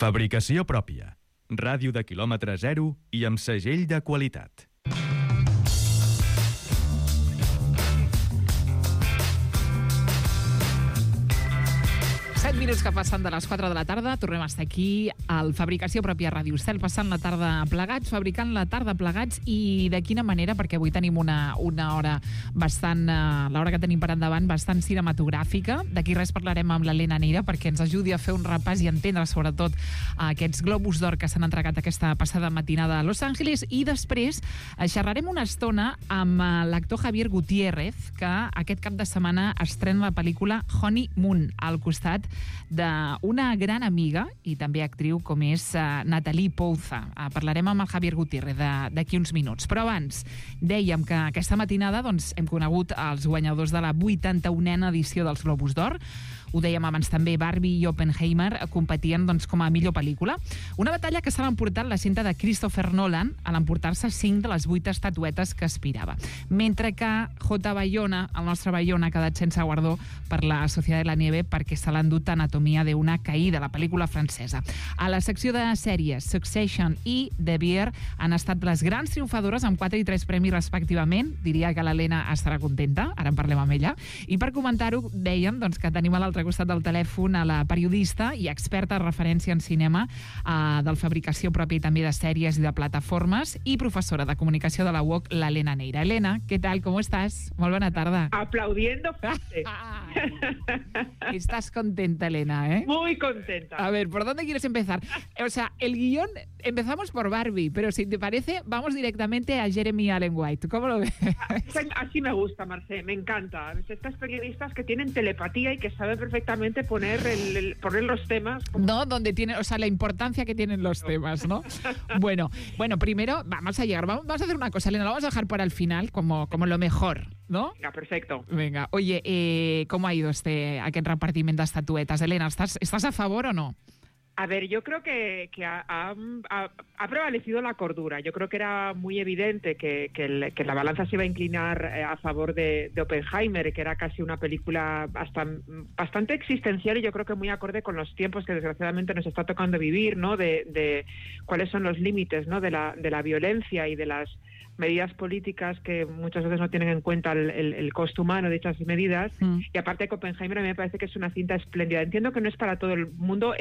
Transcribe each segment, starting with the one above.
Fabricació pròpia. Ràdio de quilòmetre zero i amb segell de qualitat. Minuts que passen de les 4 de la tarda, tornem a estar aquí al Fabricació Pròpia Ràdio Estel, passant la tarda plegats, fabricant la tarda plegats, i de quina manera, perquè avui tenim una hora bastant, l'hora que tenim per endavant, bastant cinematogràfica. D'aquí res parlarem amb l'Helena Neira perquè ens ajudi a fer un repàs i entendre sobretot aquests Globus d'Or que s'han entregat aquesta passada matinada a Los Angeles, i després xerrarem una estona amb l'actor Javier Gutiérrez, que aquest cap de setmana estrena la pel·lícula Honeymoon, al costat d'una gran amiga i també actriu com és Natalie Pouza. Parlarem amb el Javier Gutiérrez d'aquí uns minuts. Però abans dèiem que aquesta matinada hem conegut els guanyadors de la 81a edició dels Globus d'Or. Ho dèiem abans també, Barbie i Oppenheimer competien com a millor pel·lícula. Una batalla que s'ha emportat la cinta de Christopher Nolan a l'emportar-se 5 de les 8 estatuetes que aspirava. Mentre que J. Bayona, el nostre Bayona, ha quedat sense guardó per la Sociedad de la Nieve perquè se l'ha endut Anatomia d'una caïda, la pel·lícula francesa. A la secció de sèries, Succession i The Bear han estat les grans triomfadores amb 4 i 3 premis respectivament. Diria que l'Helena estarà contenta, ara en parlem amb ella. I per comentar-ho, dèiem que tenim a l'altre costat del telèfon a la periodista i experta de referència en cinema del Fabricació Pròpia i també de sèries i de plataformes, i professora de comunicació de la UOC, l'Helena Neira. Helena, ¿qué tal? ¿Cómo estás? Muy buena tarde. Aplaudiendo fuerte. Estás contenta, Helena, ¿eh? Muy contenta. A ver, ¿por dónde quieres empezar? O sea, el guión, empezamos por Barbie, pero si te parece, vamos directamente a Jeremy Allen White. ¿Cómo lo ves? Así me gusta, Marcé, me encanta. Estas periodistas que tienen telepatía y que saben perfectamente poner los temas. No, donde tienen, o sea, la importancia que tienen los temas, ¿no? Bueno, primero vamos a llegar, vamos a hacer una cosa, Elena, lo vamos a dejar para el final como lo mejor, ¿no? Venga, perfecto. Venga, oye, ¿cómo ha ido aquest repartiment d'estatuetes? Elena, ¿estás a favor o no? A ver, yo creo que ha prevalecido la cordura. Yo creo que era muy evidente que la balanza se iba a inclinar a favor de Oppenheimer, que era casi una película bastante existencial y yo creo que muy acorde con los tiempos que desgraciadamente nos está tocando vivir, ¿no? De cuáles son los límites, ¿no? de la violencia y de las medidas políticas que muchas veces no tienen en cuenta el costo humano de dichas medidas. Y aparte que Oppenheimer a mí me parece que es una cinta espléndida. Entiendo que no es para todo el mundo,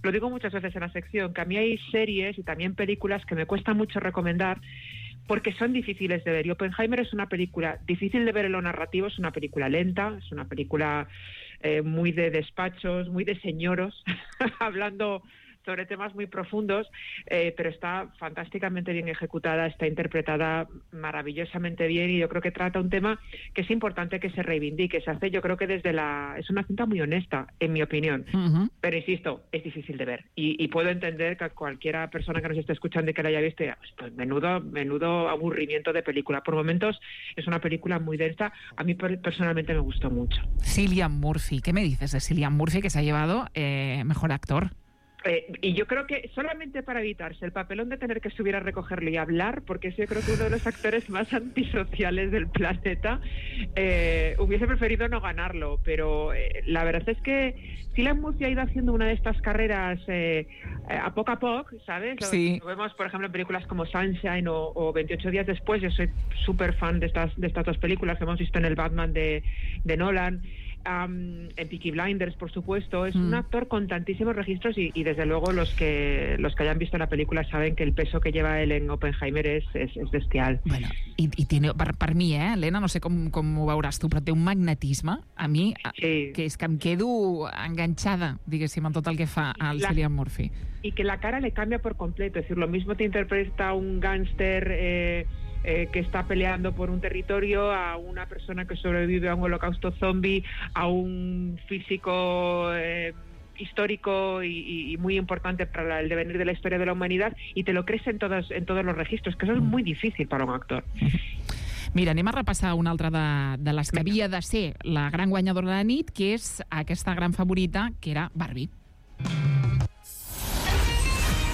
lo digo muchas veces en la sección, que a mí hay series y también películas que me cuesta mucho recomendar porque son difíciles de ver. Y Oppenheimer es una película difícil de ver en lo narrativo, es una película lenta, es una película muy de despachos, muy de señoros, hablando sobre temas muy profundos, pero está fantásticamente bien ejecutada, está interpretada maravillosamente bien y yo creo que trata un tema que es importante que se reivindique, se hace, yo creo que es una cinta muy honesta, en mi opinión, pero insisto, es difícil de ver y puedo entender que cualquiera persona que nos esté escuchando y que la haya visto, pues menudo aburrimiento de película. Por momentos es una película muy densa, a mí personalmente me gustó mucho. Cillian Murphy, ¿qué me dices de Cillian Murphy, que se ha llevado mejor actor? Y yo creo que solamente para evitarse el papelón de tener que subir a recogerlo y hablar, porque es yo creo que uno de los actores más antisociales del planeta, hubiese preferido no ganarlo, pero la verdad es que Cillian Murphy ha ido haciendo una de estas carreras a poco, ¿sabes? Sí. Lo vemos, por ejemplo, en películas como Sunshine o 28 días después. Yo soy súper fan de estas dos películas que hemos visto en el Batman de Nolan. En Peaky Blinders, por supuesto. Es un actor con tantísimos registros y desde luego los que hayan visto la película saben que el peso que lleva él en Oppenheimer es bestial. Bueno, i tiene, per mi, Helena, no sé com ho veuràs tu, però té un magnetisme, a mi, sí, que és que em quedo enganxada, diguéssim, en tot el que fa al Cillian Murphy. Y que la cara le cambia por completo, es decir, lo mismo te interpreta un gángster que está peleando por un territorio, a una persona que sobrevive a un holocausto zombie, a un físico histórico y muy importante para el devenir de la historia de la humanidad, y te lo crees en todos los registros, que eso es muy difícil para un actor. Mira, anem a repassar una altra de les que havia de ser la gran guanyadora de la nit, que és aquesta gran favorita, que era Barbie.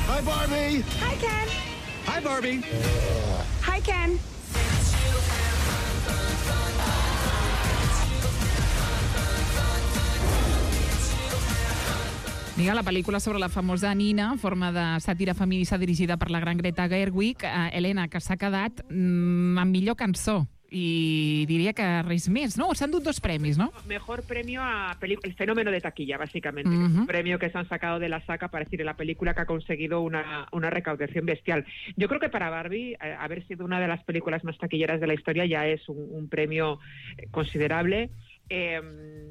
Hi, Barbie! Hi, Ken! Hi, Barbie! Hi, Ken! Vinga, la pel·lícula sobre la famosa Nina, en forma de sàtira feminista dirigida per la gran Greta Gerwig, Helena, que s'ha quedat amb millor cançó. Y diría que res més, ¿no? Se han dado 2 premis, ¿no? Mejor premio a el fenómeno de taquilla, básicamente. Es un premio que se han sacado de la saca para decir la película que ha conseguido una recaudación bestial. Yo creo que para Barbie, haber sido una de las películas más taquilleras de la historia ya es un premio considerable.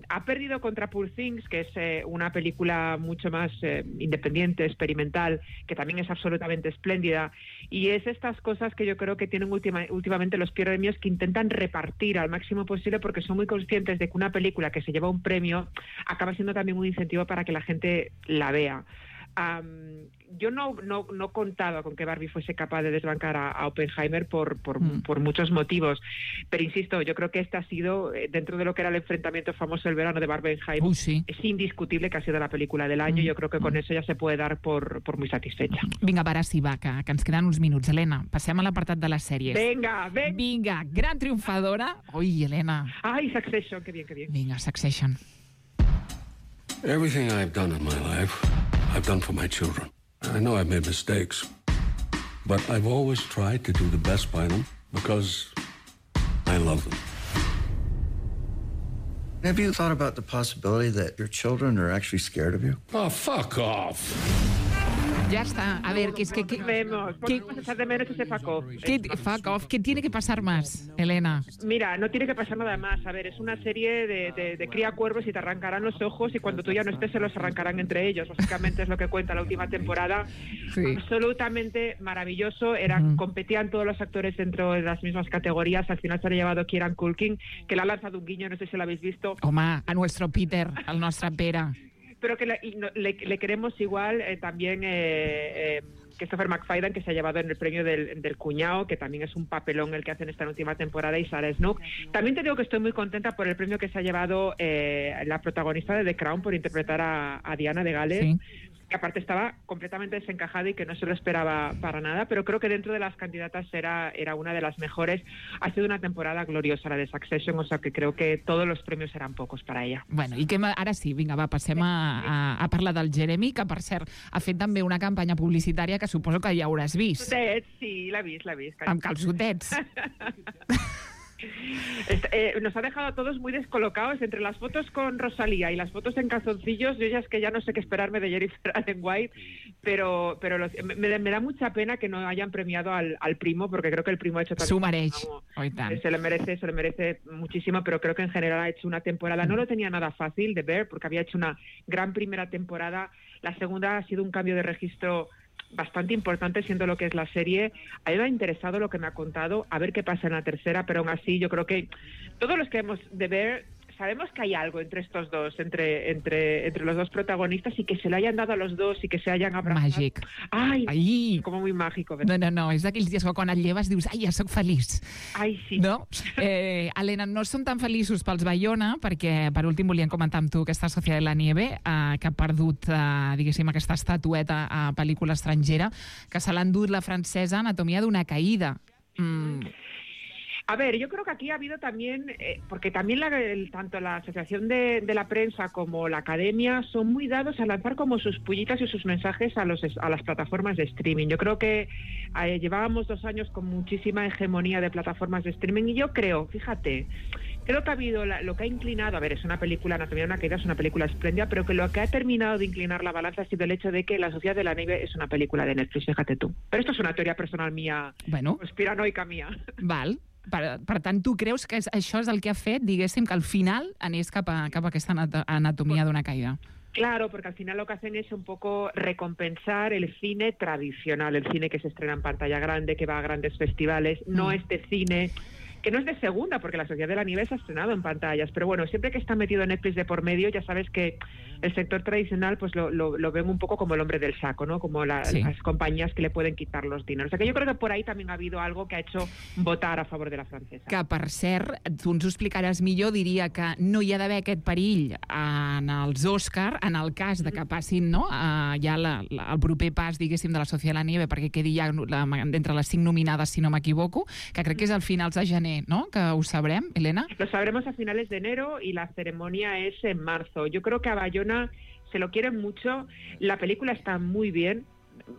Ha perdido contra Poor Things, que es una película mucho más independiente, experimental, que también es absolutamente espléndida, y es estas cosas que yo creo que tienen últimamente los premios, que intentan repartir al máximo posible porque son muy conscientes de que una película que se lleva un premio acaba siendo también un incentivo para que la gente la vea. Yo no contaba con que Barbie fuese capaz de desbancar a Oppenheimer por muchos motivos, pero insisto, yo creo que este ha sido, dentro de lo que era el enfrentamiento famoso del verano de Barbenheimer, sí. Es indiscutible que ha sido la película del año. Yo creo que con eso ya se puede dar por muy satisfecha. Vinga, ara sí, va, que ens queden uns minuts. Helena, passem a l'apartat de les sèries. Vinga, gran triomfadora. Ui, Helena. Ay, Succession, qué bien. Vinga, Succession. Everything I've done in my life, I've done for my children. I know I've made mistakes, but I've always tried to do the best by them because I love them. Have you thought about the possibility that your children are actually scared of you? Oh, fuck off. Ya está. A ver, que es que... Podemos echar de menos ese fuck off. Fuck off. ¿Qué tiene que pasar más, Helena? Mira, no tiene que pasar nada más. A ver, es una serie de cría cuervos y te arrancarán los ojos y cuando tú ya no estés se los arrancarán entre ellos. Básicamente es lo que cuenta la última temporada. Sí. Absolutamente maravilloso. Competían todos los actores dentro de las mismas categorías. Al final se ha llevado Kieran Culkin, que le ha lanzado un guiño, no sé si lo habéis visto. Home, a nuestro Peter, al nuestro Pere. Pero que le queremos igual también Christopher McFadden, que se ha llevado en el premio del cuñado, que también es un papelón el que hacen esta última temporada, y Sarah Snook. También te digo que estoy muy contenta por el premio que se ha llevado la protagonista de The Crown por interpretar a Diana de Gales. Sí. Que aparte estaba completamente desencajada y que no se lo esperaba para nada, pero creo que dentro de las candidatas era una de las mejores. Ha sido una temporada gloriosa la de Succession, o sea que creo que todos los premios eran pocos para ella. Bueno, i que ara sí, vinga, va, passem a parlar del Jeremy, que per cert ha fet també una campanya publicitària que suposo que ja hauràs vist. Sí, l'he vist. Amb calçotets. Nos ha dejado a todos muy descolocados entre las fotos con Rosalía y las fotos en calzoncillos. Yo ya es que ya no sé qué esperarme de Jennifer Allen White, pero me da mucha pena que no hayan premiado al primo, porque creo que el primo ha hecho también... S'ho mereix. Se le merece muchísimo, pero creo que en general ha hecho una temporada, no lo tenía nada fácil de ver, porque había hecho una gran primera temporada. La segunda ha sido un cambio de registro bastante importante, siendo lo que es la serie. A mí me ha interesado lo que me ha contado, a ver qué pasa en la tercera, pero aún así yo creo que todos los que hemos de ver sabemos que hay algo entre estos dos, entre los dos protagonistas, y que se le hayan dado a los dos y que se hayan abrazado. Màgic. Ai, com muy mágico. No, és d'aquells dies que quan et lleves dius, ai, ja sóc feliç. Ai, sí. No? Helena, no som tan feliços pels Bayona, perquè per últim volíem comentar amb tu aquesta Sociedad de la Nieve, que ha perdut, diguéssim, aquesta estatueta a pel·lícula estrangera, que se l'ha endut la francesa Anatomía de una caída. A ver, yo creo que aquí ha habido también, porque también tanto la Asociación de la Prensa como la Academia son muy dados a lanzar como sus pullitas y sus mensajes a las plataformas de streaming. Yo creo que llevábamos 2 años con muchísima hegemonía de plataformas de streaming, y yo creo, fíjate, creo que ha habido lo que ha inclinado, a ver, es una película, Anatomía de una caída, es una película espléndida, pero que lo que ha terminado de inclinar la balanza ha sido el hecho de que La Sociedad de la Nieve es una película de Netflix, fíjate tú. Pero esto es una teoría personal mía, conspiranoica mía. Val. Per tant, tu creus que això és el que ha fet, diguéssim, que al final anés cap a aquesta anatomia d'una caïda? Claro, porque al final lo que hacen es un poco recompensar el cine tradicional, el cine que se estrena en pantalla grande, que va a grandes festivales, no este cine que no es de segunda, porque La Sociedad de la Nieve se ha estrenado en pantallas, pero bueno, siempre que está metido Netflix de por medio, ya sabes que el sector tradicional pues lo ven un poco como el hombre del saco, ¿no? Como las compañías que le pueden quitar los dineros. O sea que yo creo que por ahí también ha habido algo que ha hecho votar a favor de la francesa. Que, per cert, tu ens ho explicaràs millor, diria que no hi ha d'haver aquest perill en els Òscar, en el cas de que passin, no?, ja el proper pas, diguéssim, de La Sociedad de la Nieve, perquè quedi ja entre les 5 nominades, si no m'equivoco, que crec que és al finals de gener, ¿no?, que ho sabrem, Helena. Lo sabremos a finales de enero y la ceremonia es en marzo. Yo creo que a Bayona se lo quieren mucho, la película está muy bien,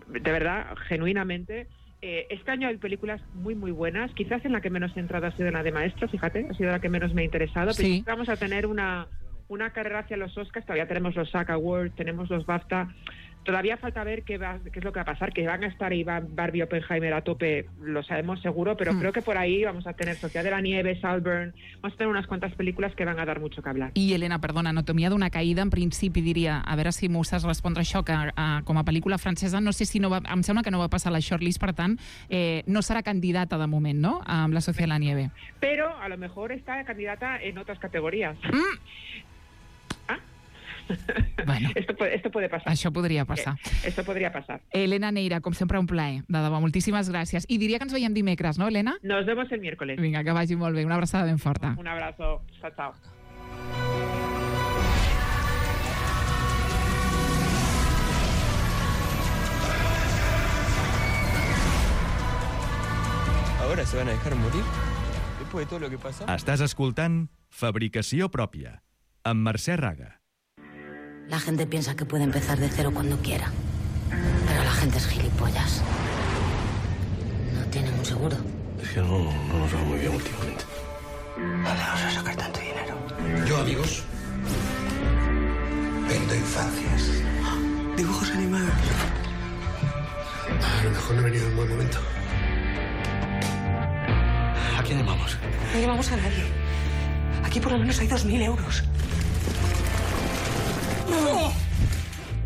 de verdad, genuinamente. Este año hay películas muy, muy buenas. Quizás en la que menos he entrado ha sido la de Maestro, fíjate, ha sido la que menos me ha interesado. Sí. Pero vamos a tener una carrera hacia los Oscars, todavía tenemos los SAG Awards, tenemos los BAFTA. Todavía falta ver qué es lo que va a pasar, que van a estar Barbie y Oppenheimer a tope, lo sabemos seguro, pero creo que por ahí vamos a tener Sociedad de la Nieve, Saltburn, vamos a tener unas cuantas pel·lícules que van a dar mucho que hablar. I, Helena, perdona, Anatomia d'una caïda, en principi diria, a veure si m'ho saps respondre això, que com a pel·lícula francesa, no sé si no va, em sembla que no va passar la shortlist, per tant, no serà candidata de moment, no?, amb la Sociedad de la Nieve. Pero a lo mejor está candidata en otras categorías. Bueno, esto puede pasar. això podria passar. Esto podría pasar. Helena Neira, com sempre, un plaer. De debò, moltíssimes gràcies. I diria que ens veiem dimecres, no, Helena? Nos vemos el miércoles. Vinga, que vagi molt bé. Una abraçada ben forta. Un abrazo. Chao, chao. ¿Ahora se van a dejar morir? Después de todo lo que pasó. Estàs escoltant Fabricació Pròpia, amb Mercè Raga. La gente piensa que puede empezar de cero cuando quiera. Pero la gente es gilipollas. No tienen un seguro. Es que no nos va muy bien últimamente. ¿Dónde vas a sacar tanto dinero? Yo, amigos, vendo infancias. Dibujos animados. A lo mejor no he venido en buen momento. ¿A quién llamamos? No llamamos a nadie. Aquí por lo menos hay 2.000 euros. ¡No!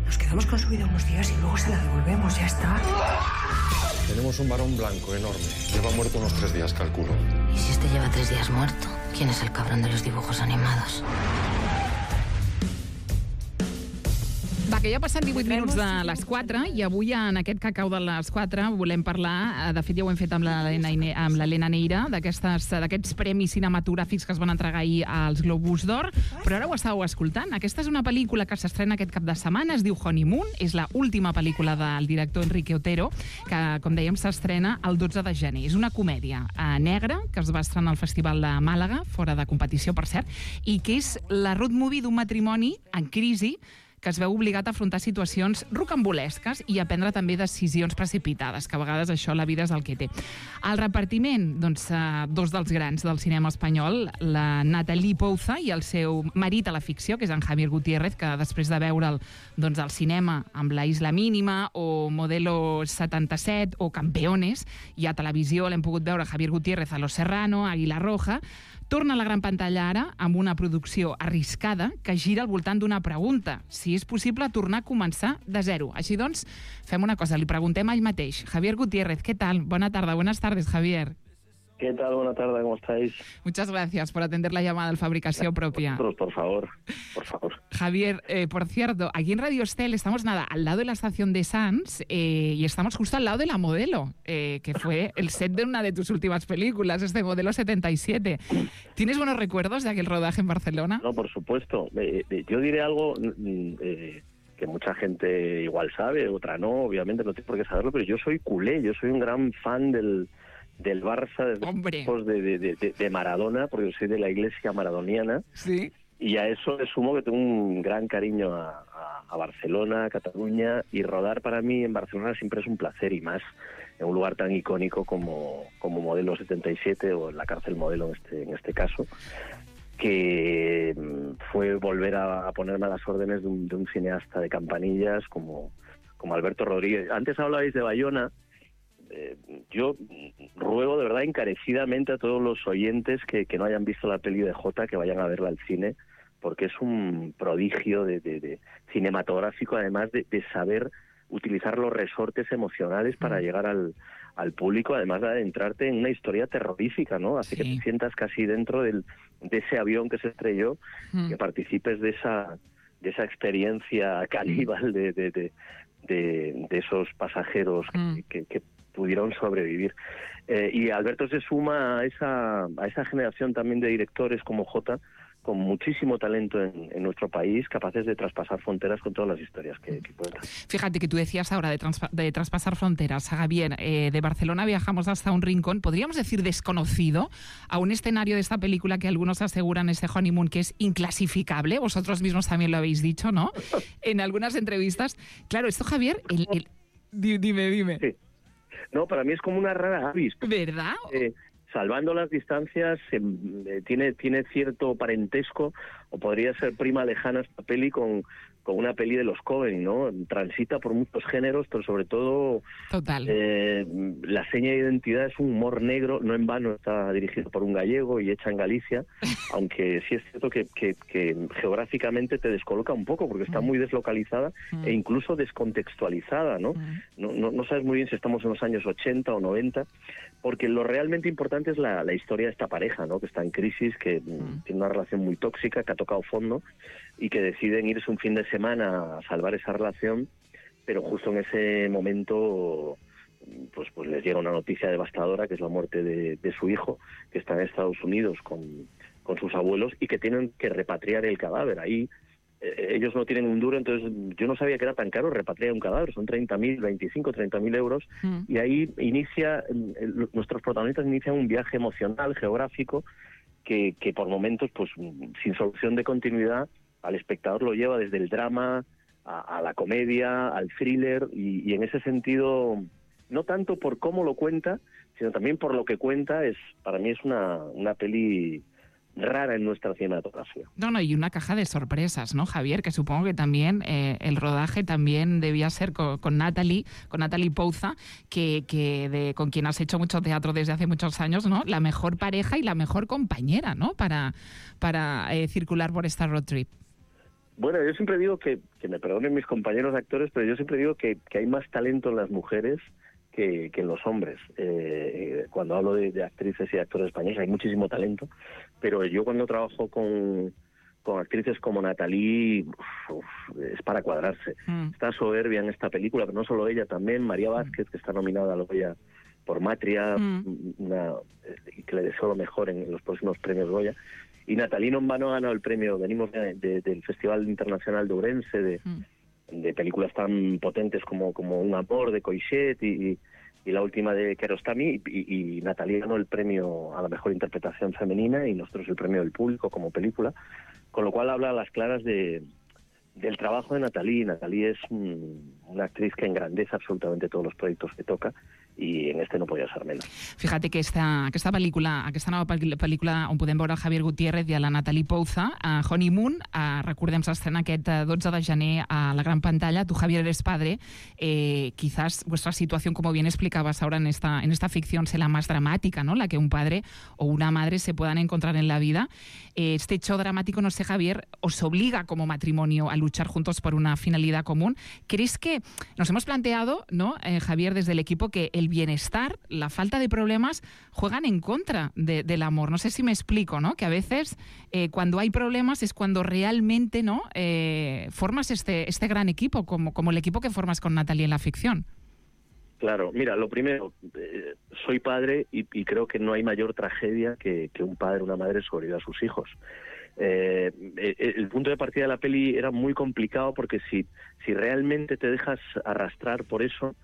Nos quedamos con su vida unos días y luego se la devolvemos, ya está. Tenemos un varón blanco enorme. Lleva muerto unos 3 días, calculo. ¿Y si este lleva 3 días muerto? ¿Quién es el cabrón de los dibujos animados? Va, que ja passen 18 minuts de les 4 i avui en aquest cacau de les 4 volem parlar, de fet ja ho hem fet amb l'Helena Neira, d'aquests premis cinematogràfics que es van entregar ahir als Globus d'Or, però ara ho estàveu escoltant. Aquesta és una pel·lícula que s'estrena aquest cap de setmana, es diu Honeymoon, és l'última pel·lícula del director Enrique Otero, que, com dèiem, s'estrena el 12 de gener. És una comèdia negra que es va estrenar al Festival de Màlaga, fora de competició, per cert, i que és la road movie d'un matrimoni en crisi que es veu obligat a afrontar situacions rocambolesques i a prendre també decisions precipitades, que a vegades això la vida és el que té. Al repartiment, doncs, dos dels grans del cinema espanyol, la Natalie Pouza i el seu marit a la ficció, que és en Javier Gutiérrez, que després de veure'l doncs, al cinema amb La Isla Mínima o Modelo 77 o Campeones, i a televisió l'hem pogut veure Javier Gutiérrez a Los Serrano, Águila Roja, torna a la gran pantalla ara amb una producció arriscada que gira al voltant d'una pregunta: si és possible tornar a començar de zero. Així doncs, fem una cosa, li preguntem a ell mateix. Javier Gutiérrez, ¿qué tal? Buenas tardes, Javier. ¿Qué tal? Buenas tardes, ¿cómo estáis? Muchas gracias por atender la llamada al Fabricación Propia. Por favor. Javier, por cierto, aquí en Radio Estel estamos al lado de la estación de Sants y estamos justo al lado de La Modelo, que fue el set de una de tus últimas películas, Modelo 77. ¿Tienes buenos recuerdos de aquel rodaje en Barcelona? No, por supuesto. Yo diré algo que mucha gente igual sabe, otra no, obviamente no tiene por qué saberlo, pero yo soy culé, yo soy un gran fan del Barça desde tiempos de Maradona, porque yo soy de la iglesia maradoniana. Sí. Y a eso le sumo que tengo un gran cariño a Barcelona, a Cataluña, y rodar para mí en Barcelona siempre es un placer, y más en un lugar tan icónico como Modelo 77 o en la cárcel Modelo en este caso, que fue volver a ponerme a las órdenes de un cineasta de campanillas como Alberto Rodríguez. Antes hablabais de Bayona. Yo ruego de verdad encarecidamente a todos los oyentes que no hayan visto la peli de Jota, que vayan a verla al cine, porque es un prodigio de cinematográfico, además de saber utilizar los resortes emocionales para llegar al público, además de adentrarte en una historia terrorífica, ¿no? Hace que te sientas casi dentro de ese avión que se estrelló, que participes de esa experiencia caníbal de esos pasajeros que pudieron sobrevivir. Y Alberto se suma a esa generación también de directores como Jota, con muchísimo talento en nuestro país, capaces de traspasar fronteras con todas las historias que cuentan. Fíjate que tú decías ahora de traspasar fronteras, Javier. De Barcelona viajamos hasta un rincón, podríamos decir desconocido, a un escenario de esta película que algunos aseguran, ese Honeymoon, que es inclasificable. Vosotros mismos también lo habéis dicho, ¿no? En algunas entrevistas. Claro, esto, Javier, dime. Sí. No, para mí es como una rara avis. ¿Verdad? Salvando las distancias, tiene cierto parentesco, o podría ser prima lejana esta peli con una peli de los Coen, ¿no? Transita por muchos géneros, pero sobre todo total. La seña de identidad es un humor negro, no en vano está dirigido por un gallego y hecha en Galicia, aunque sí es cierto que geográficamente te descoloca un poco, porque está muy deslocalizada e incluso descontextualizada, ¿no? No sabes muy bien si estamos en los años 80 o 90, porque lo realmente importante es la historia de esta pareja, ¿no? Que está en crisis, que tiene una relación muy tóxica, que ha tocado fondo y que deciden irse un fin de semana a salvar esa relación, pero justo en ese momento pues les llega una noticia devastadora, que es la muerte de su hijo, que está en Estados Unidos con sus abuelos y que tienen que repatriar el cadáver. Ahí ellos no tienen un duro, entonces yo no sabía que era tan caro repatriar un cadáver, son 30.000 euros, y ahí nuestros protagonistas inician un viaje emocional, geográfico, que por momentos, pues sin solución de continuidad, al espectador lo lleva desde el drama a la comedia, al thriller, y en ese sentido, no tanto por cómo lo cuenta, sino también por lo que cuenta, para mí es una peli rara en nuestra cinematografía. No, y una caja de sorpresas, ¿no, Javier? Que supongo que también el rodaje también debía ser con Natalie Pouza, con quien has hecho mucho teatro desde hace muchos años, ¿no? La mejor pareja y la mejor compañera, ¿no? Para circular por esta road trip. Bueno, yo siempre digo que me perdonen mis compañeros de actores, pero yo siempre digo que hay más talento en las mujeres que en los hombres. Cuando hablo de actrices y actores españoles hay muchísimo talento, pero yo cuando trabajo con actrices como Natalie, es para cuadrarse. Está soberbia en esta película, pero no solo ella, también María Vázquez, que está nominada a la Goya por Matria, y que le deseo lo mejor en los próximos premios Goya. Y Natalie no en vano ha ganado el premio, venimos del Festival Internacional de Ourense, de películas tan potentes como Un amor, de Coixet, y la última de Kiarostami, y Natalie ganó el premio a la mejor interpretación femenina y nosotros el premio del público como película, con lo cual habla a las claras del trabajo de Natalie. Natalie es una actriz que engrandece absolutamente todos los proyectos que toca, i en este no podia ser menos. Fíjate que aquesta nova pel·lícula on podem veure el Javier Gutiérrez i a la Natalie Pouza, a Honeymoon, recordem, s'estrena aquest 12 de gener a la gran pantalla. Tú, Javier, eres padre. Quizás vuestra situación, como bien explicabas ahora en esta ficción, sea la más dramática, ¿no? La que un padre o una madre se puedan encontrar en la vida. Este hecho dramático, no sé, Javier, os obliga como matrimonio a luchar juntos por una finalidad común. ¿Crees que nos hemos planteado, ¿no, Javier, desde el equipo, que el bienestar, la falta de problemas juegan en contra del amor? No sé si me explico, ¿no? Que a veces cuando hay problemas es cuando realmente, ¿no? Formas este gran equipo, como el equipo que formas con Natalie en la ficción. Claro, mira, lo primero, soy padre y creo que no hay mayor tragedia que un padre o una madre sobreviva a sus hijos. El punto de partida de la peli era muy complicado porque si realmente te dejas arrastrar por eso,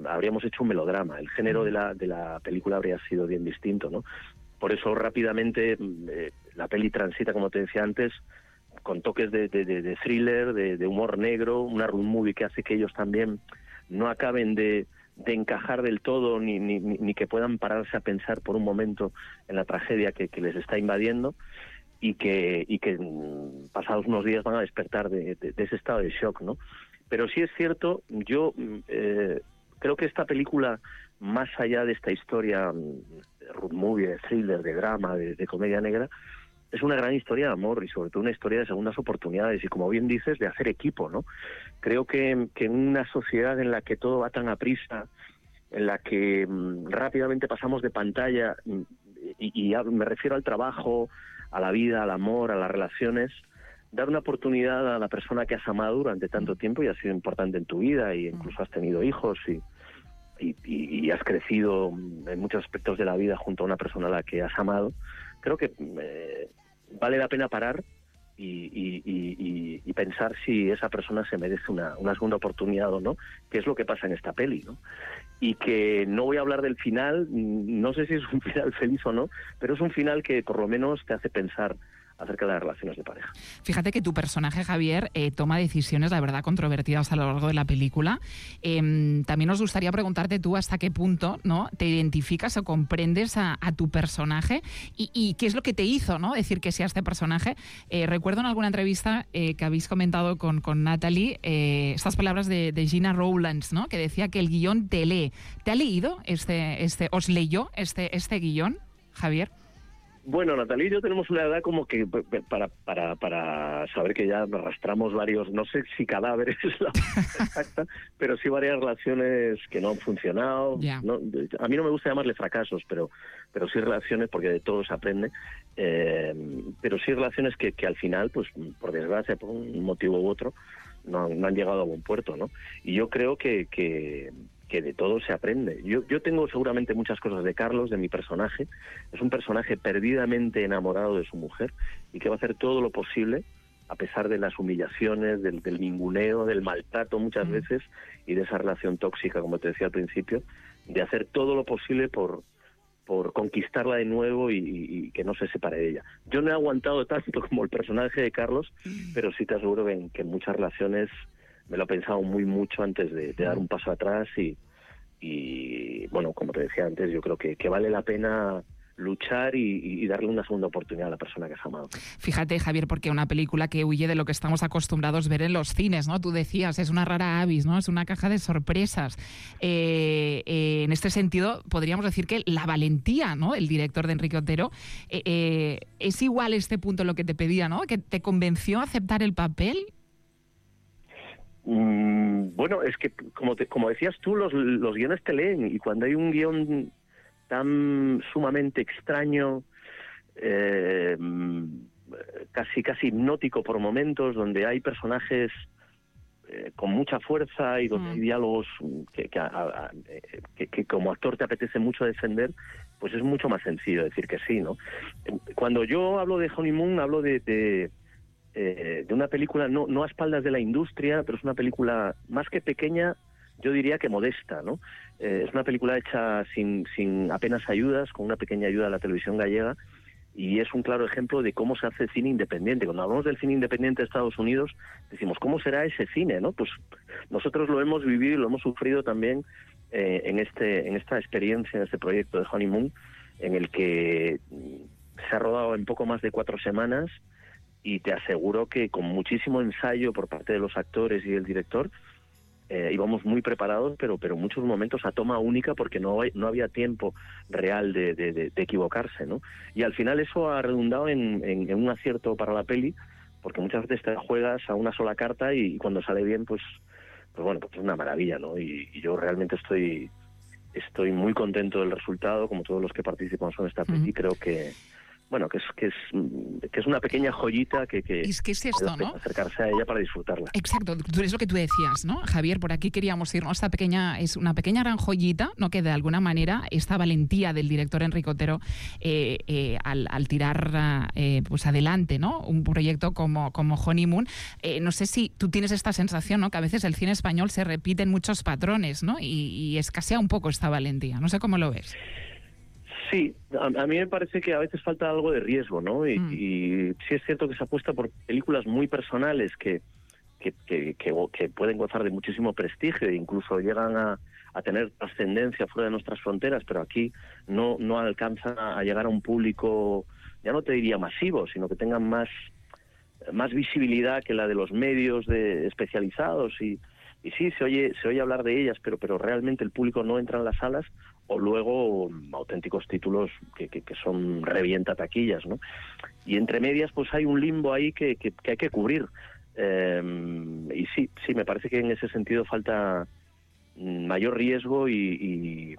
habríamos hecho un melodrama. El género de la película habría sido bien distinto, ¿no? Por eso rápidamente la peli transita, como te decía antes, con toques de thriller, de humor negro, una road movie que hace que ellos también no acaben de encajar del todo ni que puedan pararse a pensar por un momento en la tragedia que les está invadiendo, y que pasados unos días van a despertar de ese estado de shock, ¿no? Pero sí es cierto, yo creo que esta película, más allá de esta historia road movie, de thriller, de drama, de comedia negra, es una gran historia de amor y sobre todo una historia de segundas oportunidades y, como bien dices, de hacer equipo, ¿no? Creo que en una sociedad en la que todo va tan aprisa, en la que rápidamente pasamos de pantalla, y me refiero al trabajo, a la vida, al amor, a las relaciones, dar una oportunidad a la persona que has amado durante tanto tiempo y ha sido importante en tu vida, y incluso has tenido hijos y has crecido en muchos aspectos de la vida junto a una persona a la que has amado. Creo que vale la pena parar y pensar si esa persona se merece una segunda oportunidad o no, que es lo que pasa en esta peli, ¿no? Y que no voy a hablar del final, no sé si es un final feliz o no, pero es un final que por lo menos te hace pensar acerca de las relaciones de pareja. Fíjate que tu personaje, Javier, toma decisiones, la verdad, controvertidas a lo largo de la película. También nos gustaría preguntarte tú hasta qué punto, ¿no?, te identificas o comprendes a tu personaje y qué es lo que te hizo, ¿no?, decir que sea este personaje. Recuerdo en alguna entrevista que habéis comentado con Natalie estas palabras de Gina Rowlands, ¿no?, que decía que el guión te lee. ¿Te ha leído os leyó este guión, Javier? Bueno, Natalie y yo tenemos una edad como que para saber que ya arrastramos varios, no sé si cadáveres es la exacta, pero sí varias relaciones que no han funcionado. Yeah. ¿No? A mí no me gusta llamarle fracasos, pero sí relaciones, porque de todo se aprende, pero sí relaciones que al final, pues por desgracia, por un motivo u otro, no han llegado a buen puerto, ¿no? Y yo creo que de todo se aprende. Yo tengo seguramente muchas cosas de Carlos, de mi personaje. Es un personaje perdidamente enamorado de su mujer y que va a hacer todo lo posible, a pesar de las humillaciones, del ninguneo, del maltrato muchas veces y de esa relación tóxica, como te decía al principio, de hacer todo lo posible por conquistarla de nuevo y que no se separe de ella. Yo no he aguantado tanto como el personaje de Carlos, pero sí te aseguro que en muchas relaciones me lo he pensado mucho antes de dar un paso atrás y bueno, como te decía antes, yo creo que vale la pena luchar y darle una segunda oportunidad a la persona que has amado. Fíjate, Javier, porque una película que huye de lo que estamos acostumbrados a ver en los cines, ¿no? Tú decías, es una rara avis, ¿no? Es una caja de sorpresas. En este sentido, podríamos decir que la valentía, ¿no?, el director de Enrique Otero, es igual este punto lo que te pedía, ¿no?, que te convenció a aceptar el papel. Bueno, es que como decías tú, los guiones te leen, y cuando hay un guión tan sumamente extraño, casi hipnótico por momentos, donde hay personajes con mucha fuerza y donde hay diálogos que como actor te apetece mucho defender, pues es mucho más sencillo decir que sí, ¿no? Cuando yo hablo de Honeymoon, hablo de una película no a espaldas de la industria, pero es una película más que pequeña, yo diría que modesta, ¿no? Es una película hecha sin apenas ayudas, con una pequeña ayuda de la televisión gallega, y es un claro ejemplo de cómo se hace cine independiente. Cuando hablamos del cine independiente de Estados Unidos, decimos, ¿cómo será ese cine, no? Pues nosotros lo hemos vivido y lo hemos sufrido también en esta experiencia, en este proyecto de Honeymoon, en el que se ha rodado en poco más de 4 semanas, y te aseguro que con muchísimo ensayo por parte de los actores y del director, íbamos muy preparados, pero muchos momentos a toma única, porque no había tiempo real de equivocarse, ¿no? Y al final eso ha redundado en un acierto para la peli, porque muchas veces te juegas a una sola carta y cuando sale bien, pues bueno, pues es una maravilla, ¿no? Y yo realmente estoy muy contento del resultado, como todos los que participamos en esta peli. Creo que bueno, que es una pequeña joyita que es esto, ¿no?, acercarse a ella para disfrutarla. Exacto, es lo que tú decías, ¿no, Javier? Por aquí queríamos irnos. Es una pequeña gran joyita, ¿no?, que de alguna manera esta valentía del director Enrique Otero al tirar pues adelante, ¿no?, un proyecto como Honeymoon. No sé si tú tienes esta sensación, ¿no?, que a veces el cine español se repiten muchos patrones, ¿no?, y escasea un poco esta valentía. No sé cómo lo ves. Sí, a mí me parece que a veces falta algo de riesgo, ¿no? Y sí es cierto que se apuesta por películas muy personales que pueden gozar de muchísimo prestigio e incluso llegan a tener trascendencia fuera de nuestras fronteras, pero aquí no alcanzan a llegar a un público, ya no te diría masivo, sino que tengan más visibilidad que la de los medios especializados y sí, se oye hablar de ellas, pero realmente el público no entra en las salas, o luego auténticos títulos que son revienta taquillas, ¿no? Y entre medias pues hay un limbo ahí que hay que cubrir. Y sí, me parece que en ese sentido falta mayor riesgo y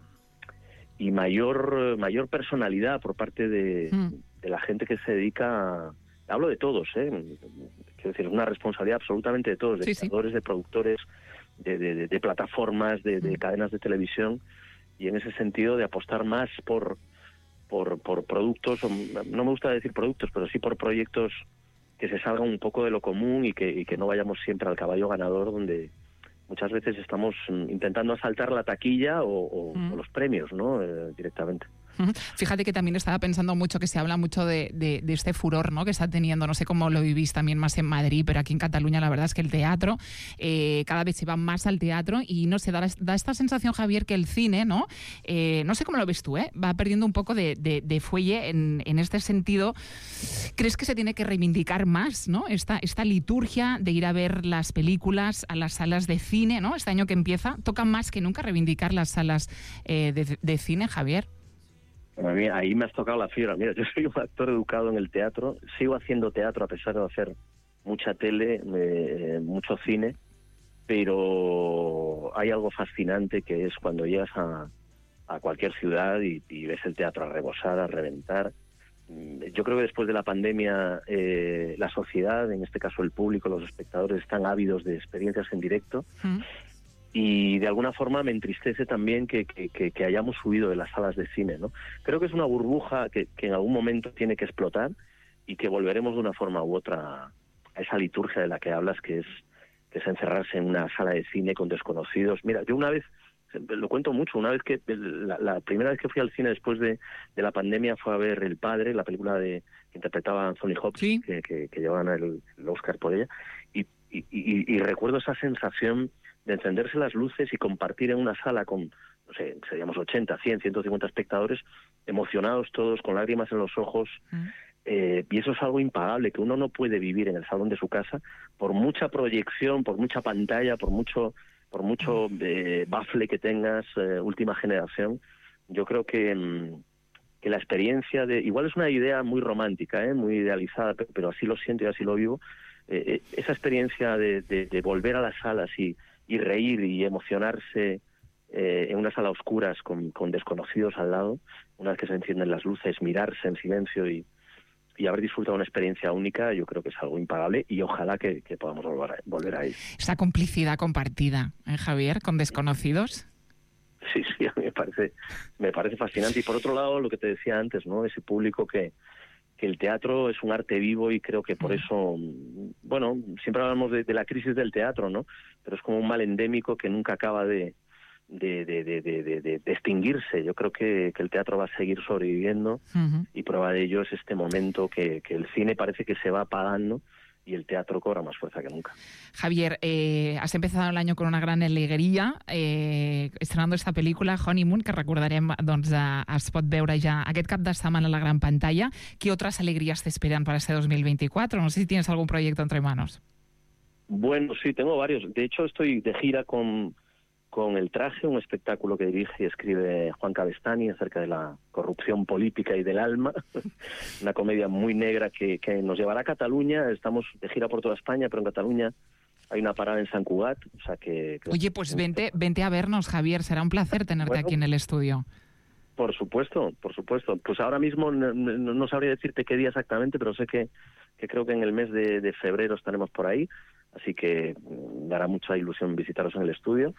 mayor personalidad por parte de la gente que se dedica hablo de todos, quiero decir, es una responsabilidad absolutamente de todos, de creadores, de productores, de plataformas, de cadenas de televisión, y en ese sentido de apostar más por productos, no me gusta decir productos, pero sí por proyectos que se salgan un poco de lo común y que no vayamos siempre al caballo ganador, donde muchas veces estamos intentando asaltar la taquilla o los premios, ¿no? Directamente. Fíjate que también estaba pensando mucho que se habla mucho de este furor, ¿no?, que está teniendo, no sé cómo lo vivís también más en Madrid, pero aquí en Cataluña la verdad es que el teatro, cada vez se va más al teatro y no sé, da esta sensación, Javier, que el cine, ¿no? No sé cómo lo ves tú, va perdiendo un poco de fuelle en este sentido. ¿Crees que se tiene que reivindicar más, ¿no?, esta liturgia de ir a ver las películas a las salas de cine, ¿no? Este año que empieza, toca más que nunca reivindicar las salas de cine, Javier. Bueno, a mí ahí me has tocado la fibra. Mira, yo soy un actor educado en el teatro, sigo haciendo teatro a pesar de hacer mucha tele, mucho cine, pero hay algo fascinante que es cuando llegas a cualquier ciudad y ves el teatro a rebosar, a reventar. Yo creo que después de la pandemia la sociedad, en este caso el público, los espectadores, están ávidos de experiencias en directo. Y de alguna forma me entristece también que hayamos huido de las salas de cine, ¿no? Creo que es una burbuja que en algún momento tiene que explotar y que volveremos de una forma u otra a esa liturgia de la que hablas, que es encerrarse en una sala de cine con desconocidos. Mira, yo una vez, lo cuento mucho, una vez que la primera vez que fui al cine después de la pandemia fue a ver El Padre, la película que interpretaba Anthony Hopkins, ¿sí?, que llevaban el Oscar por ella, y recuerdo esa sensación de encenderse las luces y compartir en una sala con, no sé, seríamos 80, 100, 150 espectadores, emocionados todos, con lágrimas en los ojos, y eso es algo impagable, que uno no puede vivir en el salón de su casa, por mucha proyección, por mucha pantalla, por mucho bafle que tengas, última generación. Yo creo que la experiencia igual es una idea muy romántica, muy idealizada, pero así lo siento y así lo vivo, esa experiencia de volver a las salas y reír y emocionarse en una sala a oscuras con desconocidos al lado, una vez que se encienden las luces, mirarse en silencio y haber disfrutado una experiencia única, yo creo que es algo impagable y ojalá que podamos volver a ir. Esa complicidad compartida, Javier, con desconocidos. Sí, a mí me parece fascinante. Y por otro lado, lo que te decía antes, ¿no? Ese público que el teatro es un arte vivo y creo que por eso, bueno, siempre hablamos de la crisis del teatro, ¿no? Pero es como un mal endémico que nunca acaba de extinguirse. Yo creo que el teatro va a seguir sobreviviendo y prueba de ello es este momento que el cine parece que se va apagando y el teatro cobra más fuerza que nunca. Javier, has empezado el año con una gran alegria, estrenando esta pel·lícula, Honeymoon, que recordarem, doncs, es pot veure ja aquest cap de setmana a la gran pantalla. ¿Qué otras alegrías te esperan para este 2024? No sé si tienes algún proyecto entre manos. Bueno, sí, tengo varios. De hecho, estoy de gira con El Traje, un espectáculo que dirige y escribe Juan Cabestany acerca de la corrupción política y del alma. Una comedia muy negra que nos llevará a Cataluña. Estamos de gira por toda España, pero en Cataluña hay una parada en Sant Cugat. O sea que Oye, pues vente a vernos, Javier. Será un placer tenerte aquí en el estudio. Por supuesto. Pues ahora mismo no sabría decirte qué día exactamente, pero sé que creo que en el mes de febrero estaremos por ahí. Así que dará mucha ilusión visitaros en el estudio.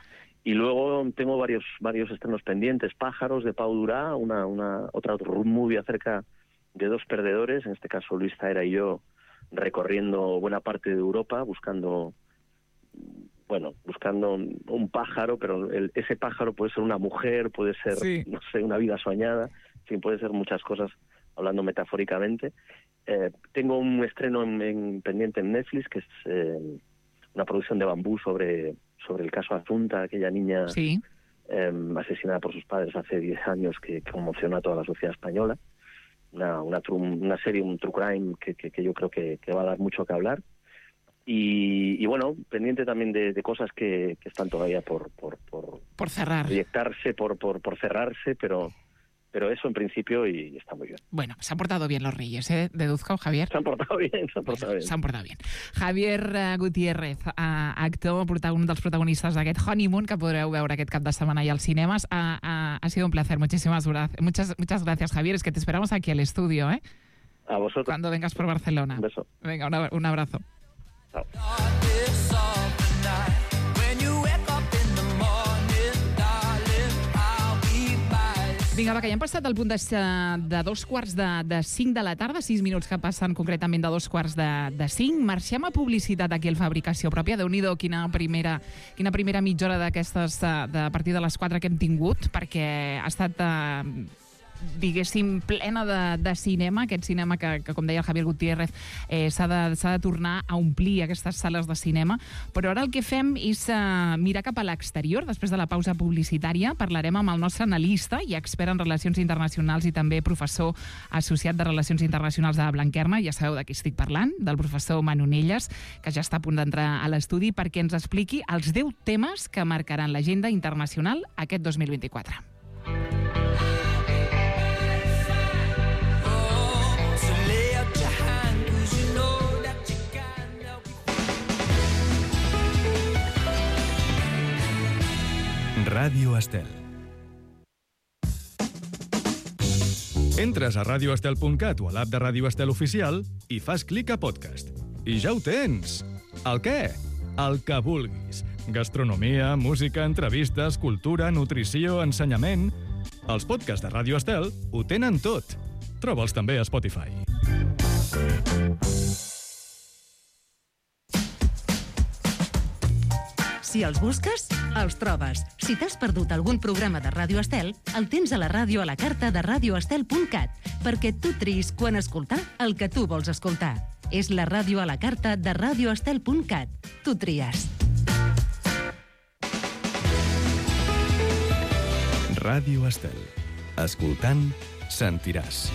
Y luego tengo varios estrenos pendientes. Pájaros, de Pau Durá, otra road movie acerca de dos perdedores, en este caso Luis Zaera y yo, recorriendo buena parte de Europa, buscando un pájaro, pero ese pájaro puede ser una mujer, puede ser, sí, no sé, una vida soñada, en fin, puede ser muchas cosas, hablando metafóricamente. Tengo un estreno pendiente en Netflix, que es una producción de Bambú sobre el caso Asunta, aquella niña, sí, asesinada por sus padres hace 10 años, que conmocionó a toda la sociedad española. Una serie, un true crime que yo creo que va a dar mucho que hablar. Y bueno, pendiente también de cosas que están todavía por cerrar, proyectarse, por cerrarse, pero eso en principio y está muy bien. Bueno, se han portado bien los Reyes, deduzco, Javier. Se han portado bien. Se han portado bien. Javier Gutiérrez, actor, un dels protagonistes d'aquest Honeymoon, que podreu veure aquest cap de setmana allà als cinemes. Ha sido un placer. Muchas gracias, Javier. Es que te esperamos aquí al estudio, ¿eh? A vosotros. Cuando vengas por Barcelona. Un beso. Venga, un abrazo. Chao. Vinga, va, que ja hem passat el punt de 5 de la tarda, 6 minuts que passen concretament de 5:15. Marxem a publicitat aquí al Fabricació Pròpia. Déu-n'hi-do, quina primera mitja hora d'aquestes a partir de les 4 que hem tingut, perquè ha estat... diguéssim, plena de cinema, aquest cinema que, com deia el Javier Gutiérrez, s'ha de tornar a omplir aquestes sales de cinema. Però ara el que fem és mirar cap a l'exterior. Després de la pausa publicitària parlarem amb el nostre analista i expert en relacions internacionals i també professor associat de Relacions Internacionals de Blanquerna. Ja sabeu de qui estic parlant, del professor Manu Nelles, que ja està a punt d'entrar a l'estudi perquè ens expliqui els 10 temes que marcaran l'agenda internacional aquest 2024. Ràdio Estel. Entres a radioestel.cat o a l'app de Ràdio Estel Oficial i fas clic a podcast. I ja ho tens! El què? El que vulguis. Gastronomia, música, entrevistes, cultura, nutrició, ensenyament... Els podcasts de Ràdio Estel ho tenen tot. Troba'ls també a Spotify. Si els busques, els trobes. Si t'has perdut algun programa de Ràdio Estel, el tens a la ràdio a la carta de radioestel.cat, perquè tu triïs quan escoltar el que tu vols escoltar. És la ràdio a la carta de radioestel.cat. Tu tries. Ràdio Estel. Escoltant, sentiràs.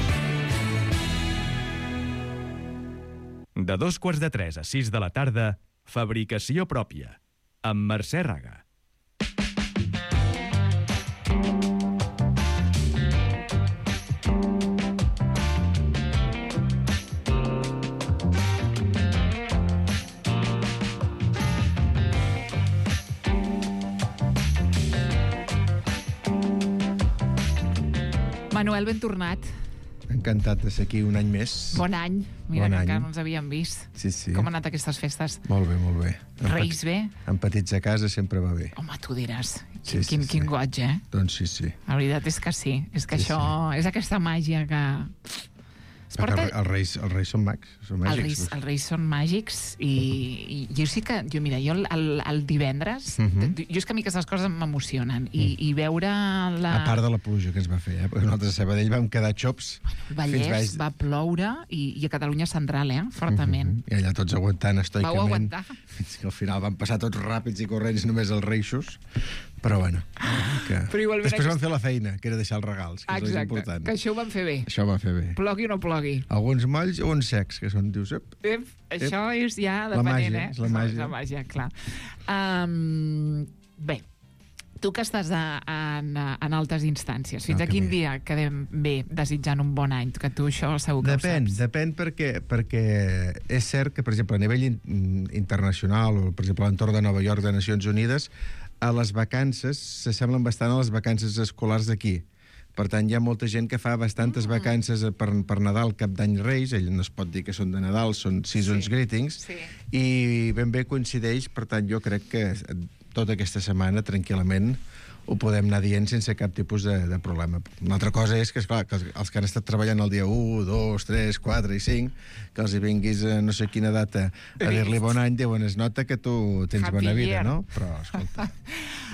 De 2:45 a 6 de la tarda, Fabricació Pròpia, amb Mercè Raga. Manuel, ben tornat. Encantat de ser aquí un any més. Bon any. Mira que encara no ens havíem vist. Sí, sí. Com han anat aquestes festes? Molt bé, molt bé. Reis bé? Amb petits a casa sempre va bé. Home, tu diràs. Sí, Quin goig, eh? Doncs sí, sí. La veritat és que sí. És que això és aquesta màgia que... Els reis són mags. Són màgics. Els reis són màgics i jo sí que... Mira, jo el divendres... Jo és que a mi aquestes coses m'emocionen i veure la... A part de la pluja que ens va fer, perquè nosaltres a Sabadell vam quedar xops. El Vallès va ploure i a Catalunya Central, fortament. I allà tots aguantant estoicament. Vau aguantar. Fins que al final van passar tots ràpids i corrents només els reixos. Però bueno, després van fer la feina, que era deixar els regals, que és el important. Que això ho van fer bé. Això ho van fer bé. Plogui o no plogui. Alguns molls o uns secs, que són, dius... Això és ja depenent, és la màgia. És la màgia, clar. Bé, tu que estàs en altes instàncies, fins a quin dia quedem bé desitjant un bon any? Que tu això segur que ho saps. Depèn perquè és cert que, per exemple, a nivell internacional, o per exemple a l'entorn de Nova York de Nacions Unides, a les vacances s'assemblen bastant a les vacances escolars d'aquí. Per tant, hi ha molta gent que fa bastantes vacances per Nadal, Cap d'Any, Reis. Ell no es pot dir que són de Nadal, són Seasons Greetings. I ben bé coincideix, per tant, jo crec que tota aquesta setmana, tranquil·lament, ho podem anar dient sense cap tipus de problema. Una altra cosa és que, esclar, que els que han estat treballant el dia 1, 2, 3, 4 i 5, que els hi vinguis a no sé quina data a dir-li bon any, diuen, es nota que tu tens bona vida, no? Però, escolta,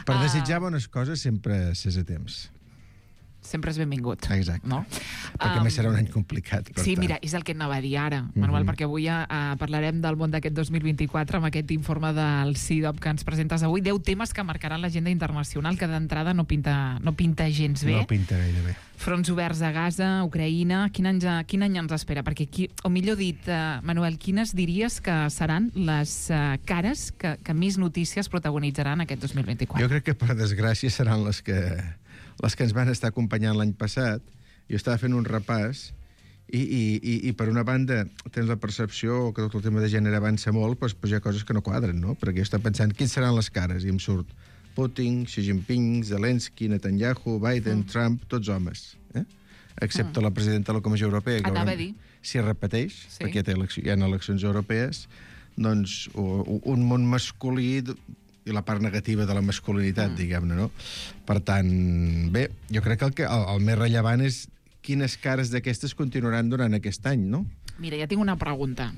per desitjar bones coses sempre s'és a temps. Sempre és benvingut. Exacte. No? Perquè més serà un any complicat. Sí, mira, és el que anava a dir ara, Manuel, perquè avui parlarem del món d'aquest 2024 amb aquest informe del CIDOB que ens presentes avui. 10 temes que marcaran l'agenda internacional, que d'entrada no pinta gens bé. No pinta gaire bé. Fronts oberts a Gaza, Ucraïna... Quin any ens espera? Perquè, o millor dit, Manuel, quines diries que seran les cares que més notícies protagonitzaran aquest 2024? Jo crec que, per desgràcia, seran les que ens van estar acompanyant l'any passat. Jo estava fent un repàs i per una banda tens la percepció que tot el tema de gènere avança molt, però hi ha coses que no quadren, no? Perquè jo estava pensant quins seran les cares i em surt Putin, Xi Jinping, Zelensky, Netanyahu, Biden, Trump, tots homes, excepte la presidenta de la Comissió Europea, que si repeteix, perquè hi ha eleccions europees, doncs un món masculí i la part negativa de la masculinitat, diguem-ne, no? Per tant, bé, jo crec que el més rellevant és quines cares d'aquestes continuaran durant aquest any, no? Mira, ja tinc una pregunta.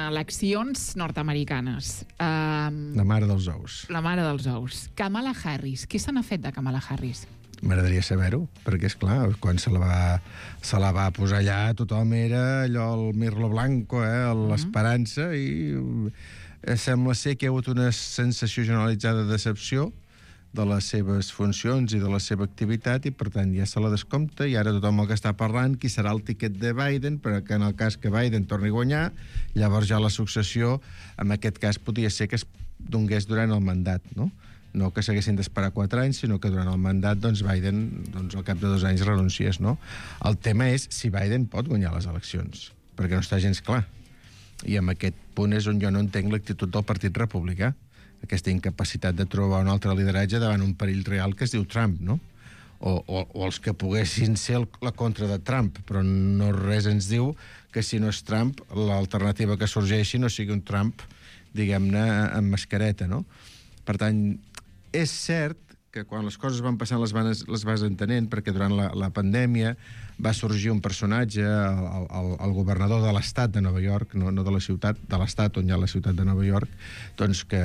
Eleccions nord-americanes. La mare dels ous. La mare dels ous. Kamala Harris. Què se n'ha fet de Kamala Harris? M'agradaria saber-ho, perquè, esclar, quan se la va posar allà, tothom era allò, el Mirlo Blanco, l'esperança, i sembla ser que hi ha hagut una sensació generalitzada de decepció de les seves funcions i de la seva activitat, i per tant ja se la descompta, i ara tothom el que està parlant qui serà el tiquet de Biden, perquè en el cas que Biden torni a guanyar, llavors ja la successió, en aquest cas podria ser que es donés durant el mandat, no? No que s'haguessin d'esperar 4 anys, sinó que durant el mandat, doncs, Biden, al cap de 2 anys renunciés, no? El tema és si Biden pot guanyar les eleccions, perquè no està gens clar. I en aquest punt és on jo no entenc l'actitud del Partit Republicà, aquesta incapacitat de trobar un altre lideratge davant un perill real que es diu Trump, no? O els que poguessin ser la contra de Trump, però no res ens diu que si no és Trump, l'alternativa que sorgeixi no sigui un Trump, diguem-ne, amb mascareta, no? Per tant, és cert que quan les coses van passant les vas entenent, perquè durant la pandèmia va sorgir un personatge, el governador de l'estat de Nova York, no de la ciutat, de l'estat on hi ha la ciutat de Nova York, doncs que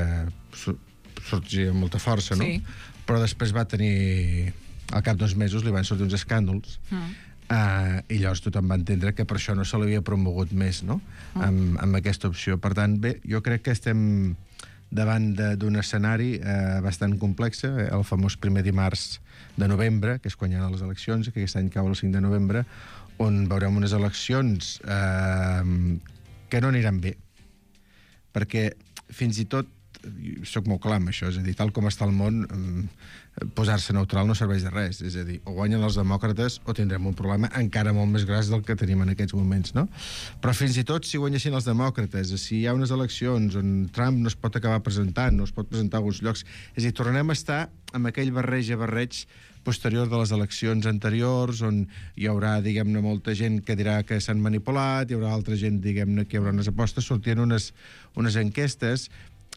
sorgia amb molta força, no? Sí. Però després va tenir, al cap d'2 mesos li van sortir uns escàndols, i llavors tothom va entendre que per això no se l'havia promogut més, no? Amb aquesta opció. Per tant, bé, jo crec que estem davant d'un escenari bastant complex, el famós primer dimarts de novembre, que és quan hi ha les eleccions, que aquest any cau el 5 de novembre, on veurem unes eleccions que no aniran bé. Perquè fins i tot, soc molt clar amb això, és a dir, tal com està el món, posar-se neutral no serveix de res. És a dir, o guanyen els demòcrates o tindrem un problema encara molt més gras del que tenim en aquests moments, no? Però fins i tot si guanyessin els demòcrates, si hi ha unes eleccions on Trump no es pot acabar presentant, no es pot presentar a alguns llocs, és a dir, tornem a estar amb aquell barreig posterior de les eleccions anteriors, on hi haurà, diguem-ne, molta gent que dirà que s'han manipulat, hi haurà altra gent, diguem-ne, que hi haurà unes apostes, sortien unes enquestes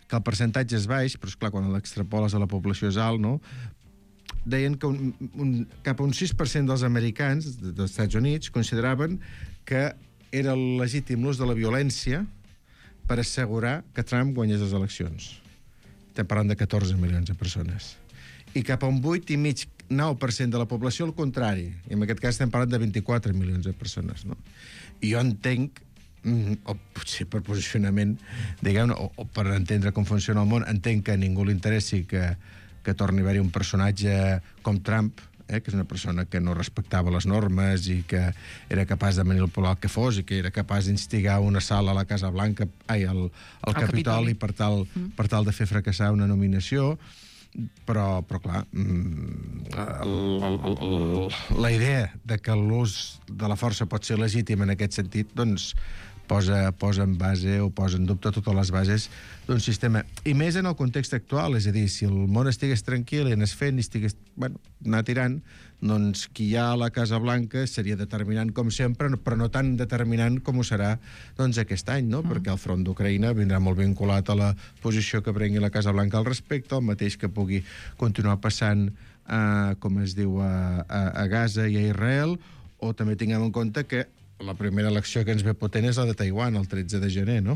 que el percentatge és baix, però esclar, quan l'extrapoles a la població és alt, no? Deien que cap a un 6% dels americans dels Estats Units consideraven que era legítim l'ús de la violència per assegurar que Trump guanyés les eleccions. Estem parlant de 14 milions de persones. I cap a un 8,5-9% de la població al contrari. I en aquest cas estem parlant de 24 milions de persones, no? I jo entenc, o potser per posicionament, diguem-ne, o per entendre com funciona el món, entenc que a ningú li interessi que torni a haver-hi un personatge com Trump, que és una persona que no respectava les normes i que era capaç de manipular el que fos i que era capaç d'instigar un assalt a la Casa Blanca, al Capitoli, per tal de fer fracassar una nominació. Però clar, la idea de que l'ús de la força pot ser legítim en aquest sentit, doncs posa en base o posa en dubte totes les bases d'un sistema. I més en el context actual, és a dir, si el món estigués tranquil i anés fent i estigués, anar tirant, doncs qui hi ha a la Casa Blanca seria determinant com sempre, però no tan determinant com ho serà doncs aquest any, no? Perquè el front d'Ucraïna vindrà molt vinculat a la posició que prengui la Casa Blanca al respecte, el mateix que pugui continuar passant, com es diu, a Gaza i a Israel, o també tinguem en compte que la primera elecció que ens ve potent és la de Taiwan, el 13 de gener, no?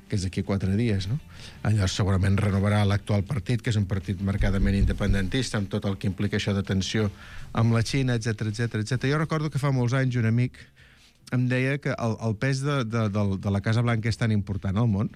Que és d'aquí 4 dies, no? Llavors segurament renovarà l'actual partit, que és un partit marcadament independentista, amb tot el que implica això de tensió amb la Xina, etc. Jo recordo que fa molts anys un amic em deia que el pes de la Casa Blanca és tan important al món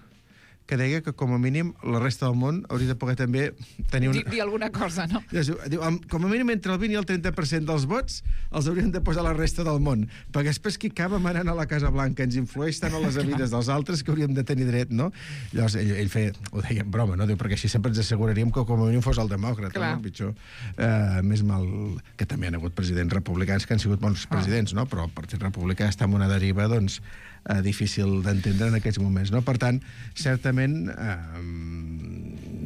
que deia que, com a mínim, la resta del món hauria de poder també tenir dir alguna cosa, no? Diu, com a mínim, entre el 20 i el 30% dels vots els haurien de posar la resta del món, perquè després qui acaba manant a la Casa Blanca ens influeix tant a les vides dels altres que hauríem de tenir dret, no? Llavors, ell feia, ho deia en broma, no? Diu, perquè així sempre ens asseguraríem que, com a mínim, fos el demòcrata, no? Pitjor. Més mal que també han hagut presidents republicans que han sigut bons presidents, no? Però el Partit Republicà està en una deriva, doncs, difícil d'entendre en aquests moments, no? Per tant, certament,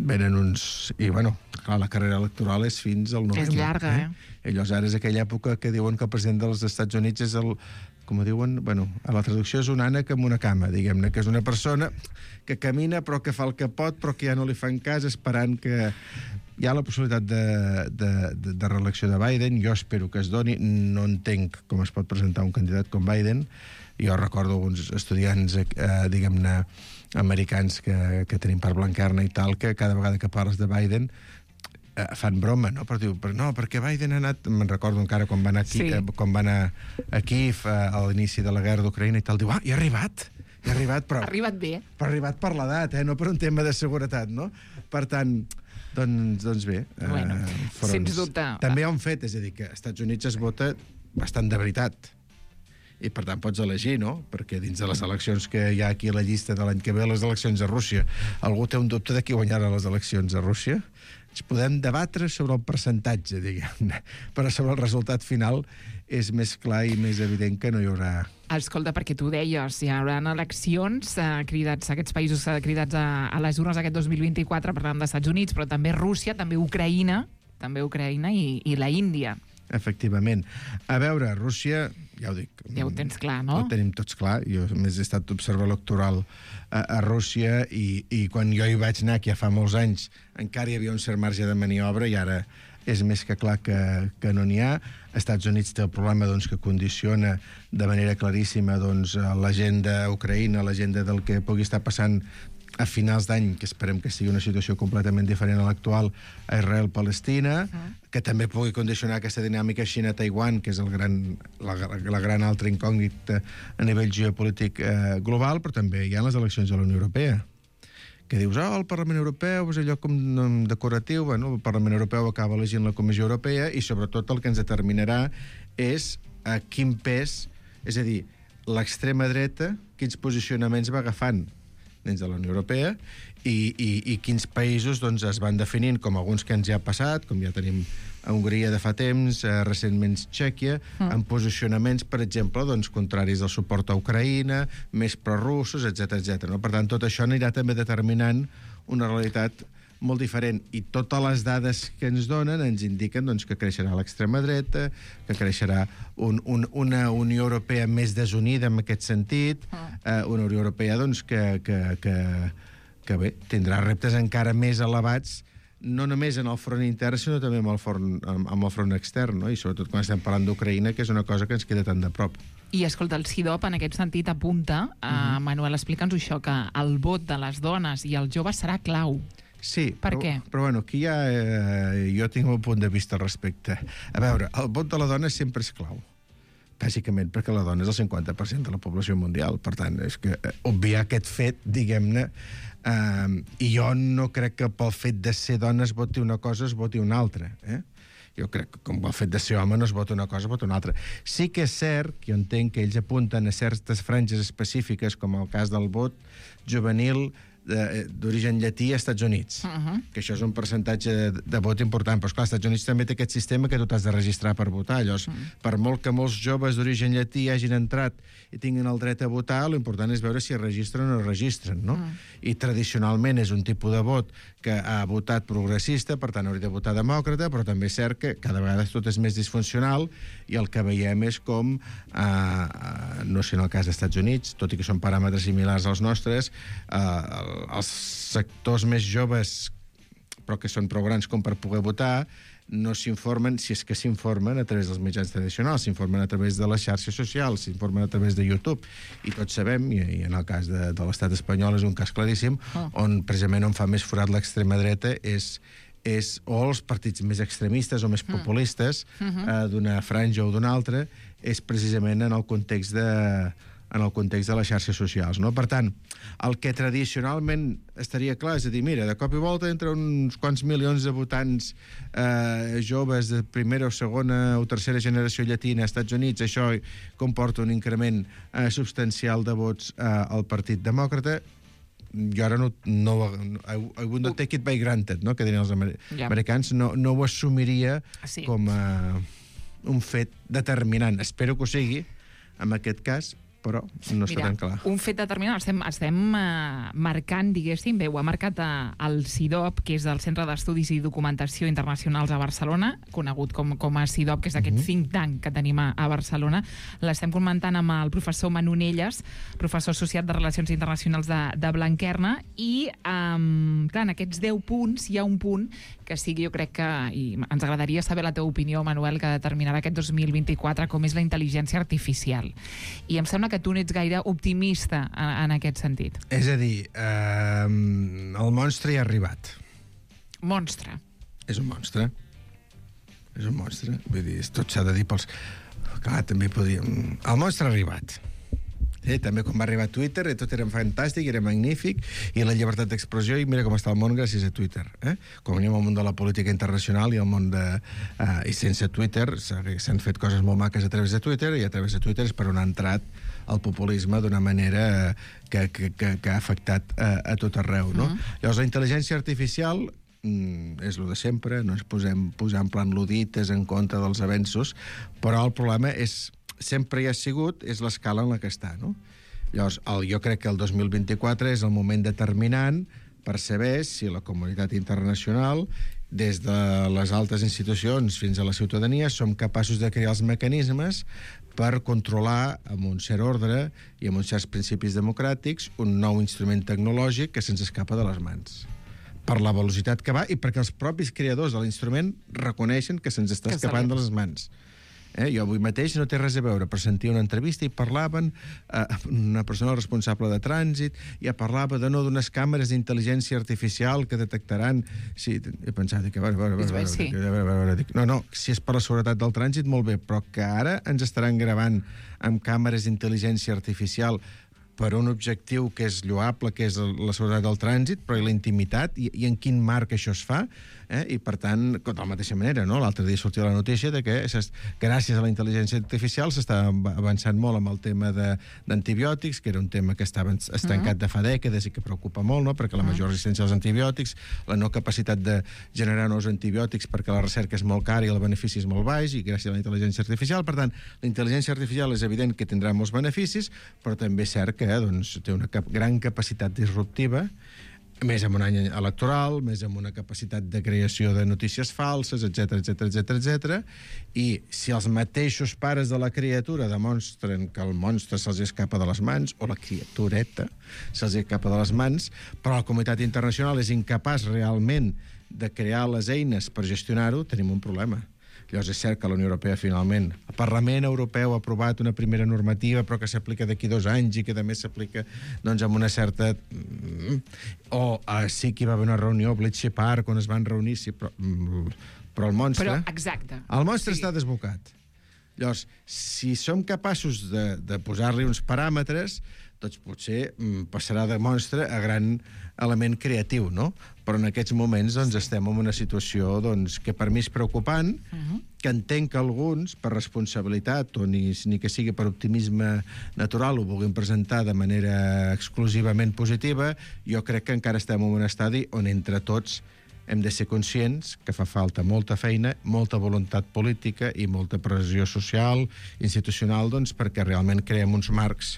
venen uns... I, bueno, clar, la carrera electoral és fins al novembre. És llarga, I llavors ara és aquella època que diuen que el president dels Estats Units és el... Com ho diuen? Bueno, a la traducció és un ànec amb una cama, diguem-ne, que és una persona que camina però que fa el que pot, però que ja no li fan cas, esperant que... Hi ha la possibilitat de reelecció de Biden, jo espero que es doni, no entenc com es pot presentar un candidat com Biden. Jo recordo alguns estudiants, diguem-ne, americans que tenim per Blanquerna i tal, que cada vegada que parles de Biden fan broma, no? Però diu, no, perquè Biden ha anat... Me'n recordo encara quan va anar aquí, quan va anar a Kíev a l'inici de la guerra d'Ucraïna i tal, diu, i ha arribat, però... Ha arribat bé. Però ha arribat per l'edat, no per un tema de seguretat, no? Per tant, doncs bé. Bueno, sens dubte. També hi ha un fet, és a dir, que als Estats Units es vota bastant de veritat. I, per tant, pots elegir, no? Perquè dins de les eleccions que hi ha aquí a la llista de l'any que ve, les eleccions a Rússia, algú té un dubte de qui guanyarà les eleccions a Rússia? Ens podem debatre sobre el percentatge, diguem-ne, però sobre el resultat final és més clar i més evident que no hi haurà... Escolta, perquè tu deies, hi haurà eleccions aquests països cridats a les urnes aquest 2024, parlant dels Estats Units, però també Rússia, també Ucraïna i la Índia. Efectivament. A veure, Rússia, ja ho dic... Ja ho tens clar, no? Ho tenim tots clar. Jo, a més, he estat observador electoral a Rússia i quan jo hi vaig anar, que ja fa molts anys, encara hi havia un cert marge de maniobra i ara és més que clar que no n'hi ha. Els Estats Units té el problema que condiciona de manera claríssima l'agenda ucraïna, l'agenda del que pugui estar passant a finals d'any, que esperem que sigui una situació completament diferent a l'actual, a Israel-Palestina, que també pugui condicionar aquesta dinàmica Xina-Taiwan, que és la gran altra incògnita a nivell geopolític global, però també hi ha les eleccions a la Unió Europea, que dius, el Parlament Europeu és allò com decoratiu. Bueno, el Parlament Europeu acaba elegint la Comissió Europea i sobretot el que ens determinarà és a quin pes, és a dir, l'extrema dreta, quins posicionaments va agafant dins de la Unió Europea i quins països es van definint, com alguns que ens ja ha passat, com ja tenim a Hongria de fa temps, recentment Txèquia, en posicionaments, per exemple, contraris al suport a Ucraïna, més prorussos, etc. No? Per tant, tot això anirà també determinant una realitat molt diferent. I totes les dades que ens donen ens indiquen que creixerà l'extrema dreta, que creixerà una Unió Europea més desunida en aquest sentit, una Unió Europea que bé, tindrà reptes encara més elevats, no només en el front intern, sinó també amb el front extern, no? I sobretot quan estem parlant d'Ucraïna, que és una cosa que ens queda tan de prop. I escolta, el CIDOP en aquest sentit apunta, Manuel, explica'ns això, que el vot de les dones i els joves serà clau. Sí, per què? Però bueno, aquí ja jo tinc un punt de vista al respecte. A veure, el vot de la dona sempre és clau, bàsicament perquè la dona és el 50% de la població mundial. Per tant, és que obviar aquest fet, diguem-ne, i jo no crec que pel fet de ser dona es voti una cosa, es voti una altra. Jo crec que com pel fet de ser home no es vota una cosa, es vota una altra. Sí que és cert, que jo entenc que ells apunten a certes franges específiques, com el cas del vot juvenil d'origen llatí a Estats Units, que això és un percentatge de vot important, però esclar, als Estats Units també té aquest sistema que tu t'has de registrar per votar. Llavors, per molt que molts joves d'origen llatí hagin entrat i tinguin el dret a votar, l'important és veure si es registren o no es registren, no? I tradicionalment és un tipus de vot que ha votat progressista, per tant hauria de votar demòcrata, però també és cert que cada vegada tot és més disfuncional i el que veiem és com, no sé en el cas dels Estats Units, tot i que són paràmetres similars als nostres, els sectors més joves, però que són prou grans com per poder votar, no s'informen, si és que s'informen a través dels mitjans tradicionals, s'informen a través de les xarxes socials, s'informen a través de YouTube. I tots sabem, i en el cas de l'estat espanyol és un cas claríssim, on precisament on fa més forat l'extrema dreta és o els partits més extremistes o més populistes d'una franja o d'una altra, és precisament en el context de les xarxes socials, no? Per tant, el que tradicionalment estaria clar és a dir, mira, de cop i volta entre uns quants milions de votants joves de primera o segona o tercera generació llatina als Estats Units, això comporta un increment substancial de vots al Partit Demòcrata. Jo ara I would not take it by granted, no? Que dirien els americans, no ho assumiria com un fet determinant. Espero que ho sigui, en aquest cas, però no està tan clar. Un fet determinant, estem marcant, diguéssim, ho ha marcat el CIDOB, que és el Centre d'Estudis i Documentació Internacionals a Barcelona, conegut com a CIDOB, que és aquest think tank que tenim a Barcelona. L'estem comentant amb el professor Manu Nelles, professor associat de Relacions Internacionals de Blanquerna, i clar, en aquests 10 punts hi ha un punt que sigui, jo crec que, i ens agradaria saber la teva opinió, Manuel, que determinarà aquest 2024, com és la intel·ligència artificial. I em sembla que tu n'ets gaire optimista en aquest sentit. És a dir, el monstre ja ha arribat. Monstre. És un monstre. És un monstre. Vull dir, tot s'ha de dir pels... Clar, també podíem... El monstre ha arribat. També quan va arribar a Twitter tot era fantàstic, era magnífic, i la llibertat d'expressió, i mira com està el món gràcies a Twitter. Com venim al món de la política internacional i al món de... I sense Twitter s'han fet coses molt maques a través de Twitter, i a través de Twitter és per on ha entrat el populisme d'una manera que ha afectat a tot arreu, no? Llavors, la intel·ligència artificial és el de sempre, no ens posem en plan ludites en contra dels avenços, però el problema sempre hi ha sigut, és l'escala en la que està, no? Llavors, jo crec que el 2024 és el moment determinant per saber si la comunitat internacional, des de les altes institucions fins a la ciutadania, som capaços de crear els mecanismes per controlar amb un cert ordre i amb uns certs principis democràtics un nou instrument tecnològic que se'ns escapa de les mans, per la velocitat que va i perquè els propis creadors de l'instrument reconeixen que se'ns està escapant de les mans. Jo avui mateix no té res a veure, però sentia una entrevista i parlaven una persona responsable de trànsit, i parlava d'unes càmeres d'intel·ligència artificial que detectaran... Sí, he pensat que... No, si és per la seguretat del trànsit, molt bé, però que ara ens estaran gravant amb càmeres d'intel·ligència artificial per un objectiu que és lloable, que és la seguretat del trànsit, però i la intimitat, i en quin marc això es fa, i per tant, de la mateixa manera, no? L'altre dia sortia la notícia de que gràcies a la intel·ligència artificial s'està avançant molt amb el tema d'antibiòtics, que era un tema que estava estancat de fa dècades i que preocupa molt, no? Perquè la major resistència als antibiòtics, la no capacitat de generar nous antibiòtics perquè la recerca és molt cara i el benefici és molt baix, i gràcies a la intel·ligència artificial. Per tant, la intel·ligència artificial és evident que tindrà molts beneficis, però també és cert que té una gran capacitat disruptiva, més en un any electoral, més en una capacitat de creació de notícies falses, etc. I si els mateixos pares de la criatura demostren que el monstre se'ls escapa de les mans, o la criatureta se'ls escapa de les mans, però la comunitat internacional és incapaç realment de crear les eines per gestionar-ho, tenim un problema. Llavors és cert que la Unió Europea finalment, el Parlament Europeu ha aprovat una primera normativa però que s'aplica d'aquí 2 anys i que també s'aplica amb una certa... sí que hi va haver una reunió a Bletchley Park on es van reunir, sí, però el monstre... Però, exacte. El monstre està desbocat. Llavors, si som capaços de posar-li uns paràmetres, doncs potser passarà de monstre a gran element creatiu, no? Però en aquests moments estem en una situació que per mi és preocupant, que entenc que alguns, per responsabilitat o ni que sigui per optimisme natural, ho vulguin presentar de manera exclusivament positiva. Jo crec que encara estem en un estadi on entre tots hem de ser conscients que fa falta molta feina, molta voluntat política i molta pressió social, institucional, perquè realment creem uns marcs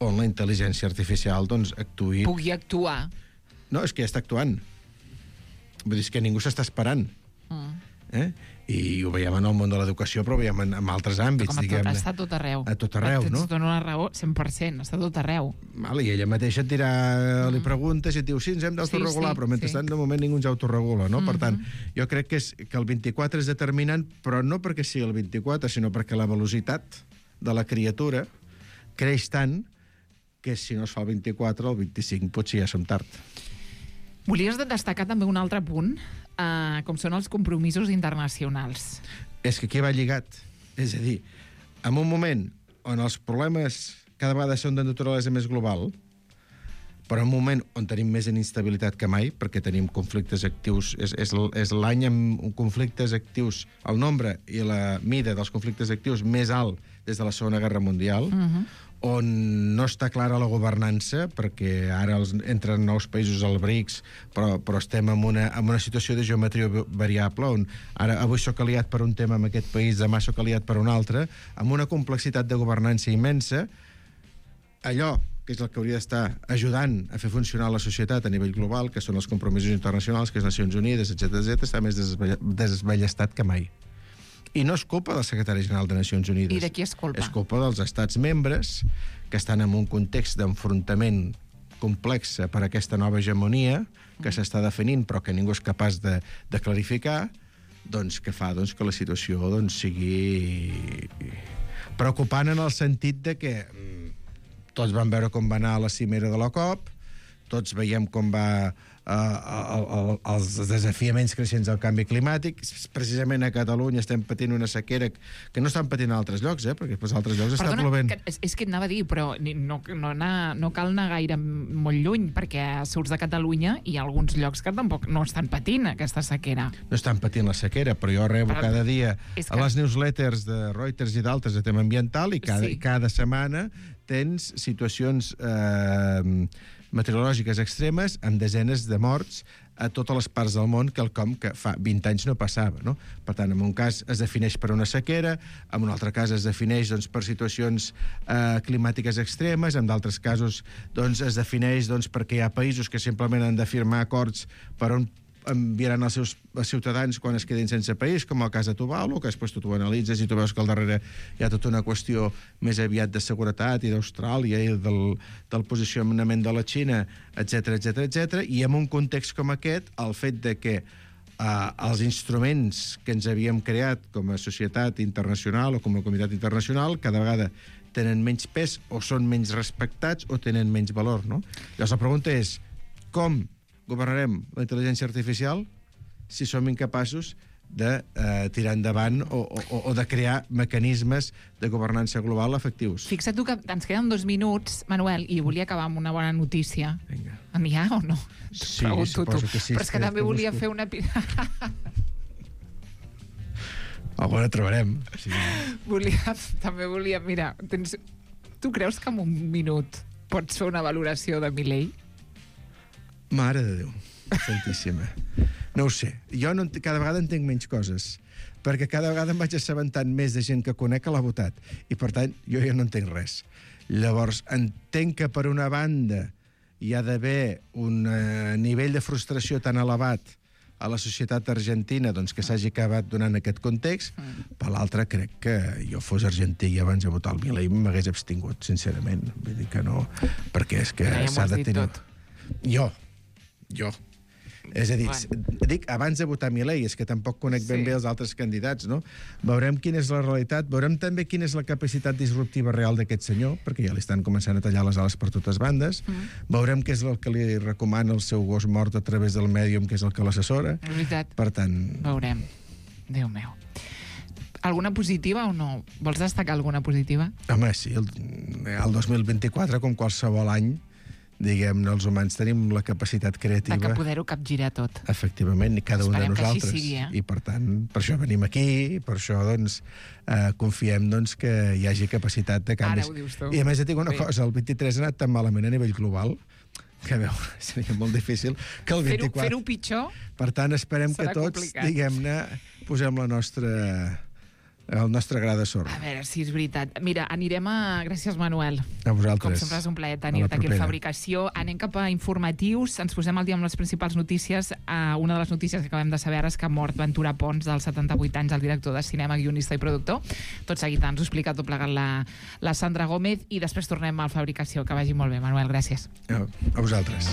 on la intel·ligència artificial actuï... Pugui actuar. No, és que ja està actuant. Vull dir, és que ningú s'està esperant. I ho veiem en el món de l'educació, però ho veiem en altres àmbits, diguem-ne. Està a tot arreu. A tot arreu, no? Ens dona una raó 100%, està a tot arreu. I ella mateixa et dirà, li preguntes i et diu, sí, ens hem d'autoregular, però mentrestant de moment ningú ens autoregula, no? Per tant, jo crec que el 24 és determinant, però no perquè sigui el 24, sinó perquè la velocitat de la criatura creix tant que si no es fa el 24, el 25 potser ja som tard. Volies destacar també un altre punt, com són els compromisos internacionals. És que aquí va lligat. És a dir, en un moment on els problemes cada vegada són de naturalesa més global, però en un moment on tenim més inestabilitat que mai, perquè tenim conflictes actius, és l'any amb conflictes actius, el nombre i la mida dels conflictes actius més alt des de la Segona Guerra Mundial, on no està clara la governança, perquè ara entren nous països al BRICS, però estem en una situació de geometria variable, on ara avui soc aliat per un tema en aquest país, demà soc aliat per un altre, amb una complexitat de governança immensa, allò que és el que hauria d'estar ajudant a fer funcionar la societat a nivell global, que són els compromisos internacionals, que és Nacions Unides, etc., està més desballestat que mai. I no és culpa del secretari general de Nacions Unides. I de qui és culpa? És culpa dels estats membres, que estan en un context d'enfrontament complex per aquesta nova hegemonia que s'està definint però que ningú és capaç de clarificar, doncs que fa que la situació sigui preocupant en el sentit de que tots van veure com va anar la cimera de la COP, tots veiem com va els desafiaments creixents del canvi climàtic. Precisament a Catalunya estem patint una sequera que no estan patint a altres llocs, perquè als altres llocs està plovent. És que et anava a dir, però no cal anar gaire molt lluny, perquè surts de Catalunya i hi ha alguns llocs que tampoc no estan patint aquesta sequera. No estan patint la sequera, però jo rebo cada dia a les newsletters de Reuters i d'altres de tema ambiental i cada setmana tens situacions meteorològiques extremes amb desenes de morts a totes les parts del món, quelcom que fa 20 anys no passava, no? Per tant, en un cas es defineix per una sequera, en un altre cas es defineix per situacions climàtiques extremes, en d'altres casos es defineix perquè hi ha països que simplement han de firmar acords per on enviaran els seus ciutadans quan es quedin sense país, com el cas de Tuvalu, que després tu analitzes i tu veus que al darrere hi ha tota una qüestió més aviat de seguretat i d'Austràlia i del posicionament de la Xina, etc. I en un context com aquest, el fet de que els instruments que ens havíem creat com a societat internacional o com a comunitat internacional cada vegada tenen menys pes o són menys respectats o tenen menys valor, no? Llavors la pregunta és, com governarem la intel·ligència artificial si som incapaços de tirar endavant o de crear mecanismes de governança global efectius. Fixa't tu que ens queden 2 minuts, Manuel, i volia acabar amb una bona notícia. Vinga. N'hi ha o no? Sí, suposo que sí. Però és que també volia fer una... Alguna trobarem. Sí. També volia... Mira, tu creus que en un minut pots fer una valoració de Milei? Mare de Déu, santíssima. No ho sé. Jo cada vegada entenc menys coses, perquè cada vegada em vaig assabentant més de gent que conec que l'ha votat, i per tant jo ja no entenc res. Llavors, entenc que per una banda hi ha d'haver un nivell de frustració tan elevat a la societat argentina que s'hagi acabat donant aquest context. Per l'altra, crec que jo fos argentí i abans de votar el Milei m'hagués abstingut, sincerament. Vull dir que no, perquè és que s'ha de tenir... Jo. És a dir, dic abans de votar Milei, és que tampoc conec ben bé els altres candidats, no? Veurem quina és la realitat, veurem també quina és la capacitat disruptiva real d'aquest senyor, perquè ja li estan començant a tallar les ales per totes bandes. Veurem què és el que li recomana el seu gos mort a través del mèdium, que és el que l'assessora. Per tant... Veurem. Déu meu. Alguna positiva o no? Vols destacar alguna positiva? Home, sí. El 2024, com qualsevol any, diguem-ne, els humans tenim la capacitat creativa... De poder-ho capgirar tot. Efectivament, cada un de nosaltres. Que així sigui, I, per tant, per això venim aquí, per això, confiem, que hi hagi capacitat de canvis. Ara ho dius tu. I, a més, et dic una cosa, el 23 ha anat tan malament a nivell global que, seria molt difícil que el 24... Fer-ho pitjor. Per tant, esperem que tots, diguem-ne, posem el nostre gra de sorra. A veure si és veritat. Mira, anirem a... Gràcies, Manuel. A vosaltres. Com sempre és un plaer tenir-te aquí a Fabricació. Anem cap a informatius. Ens posem al dia amb les principals notícies. Una de les notícies que acabem de saber ara és que ha mort Ventura Pons, dels 78 anys, el director de cinema, guionista i productor. Tot seguit ens ho explica tot plegat la Sandra Gómez i després tornem al Fabricació. Que vagi molt bé, Manuel. Gràcies. A vosaltres.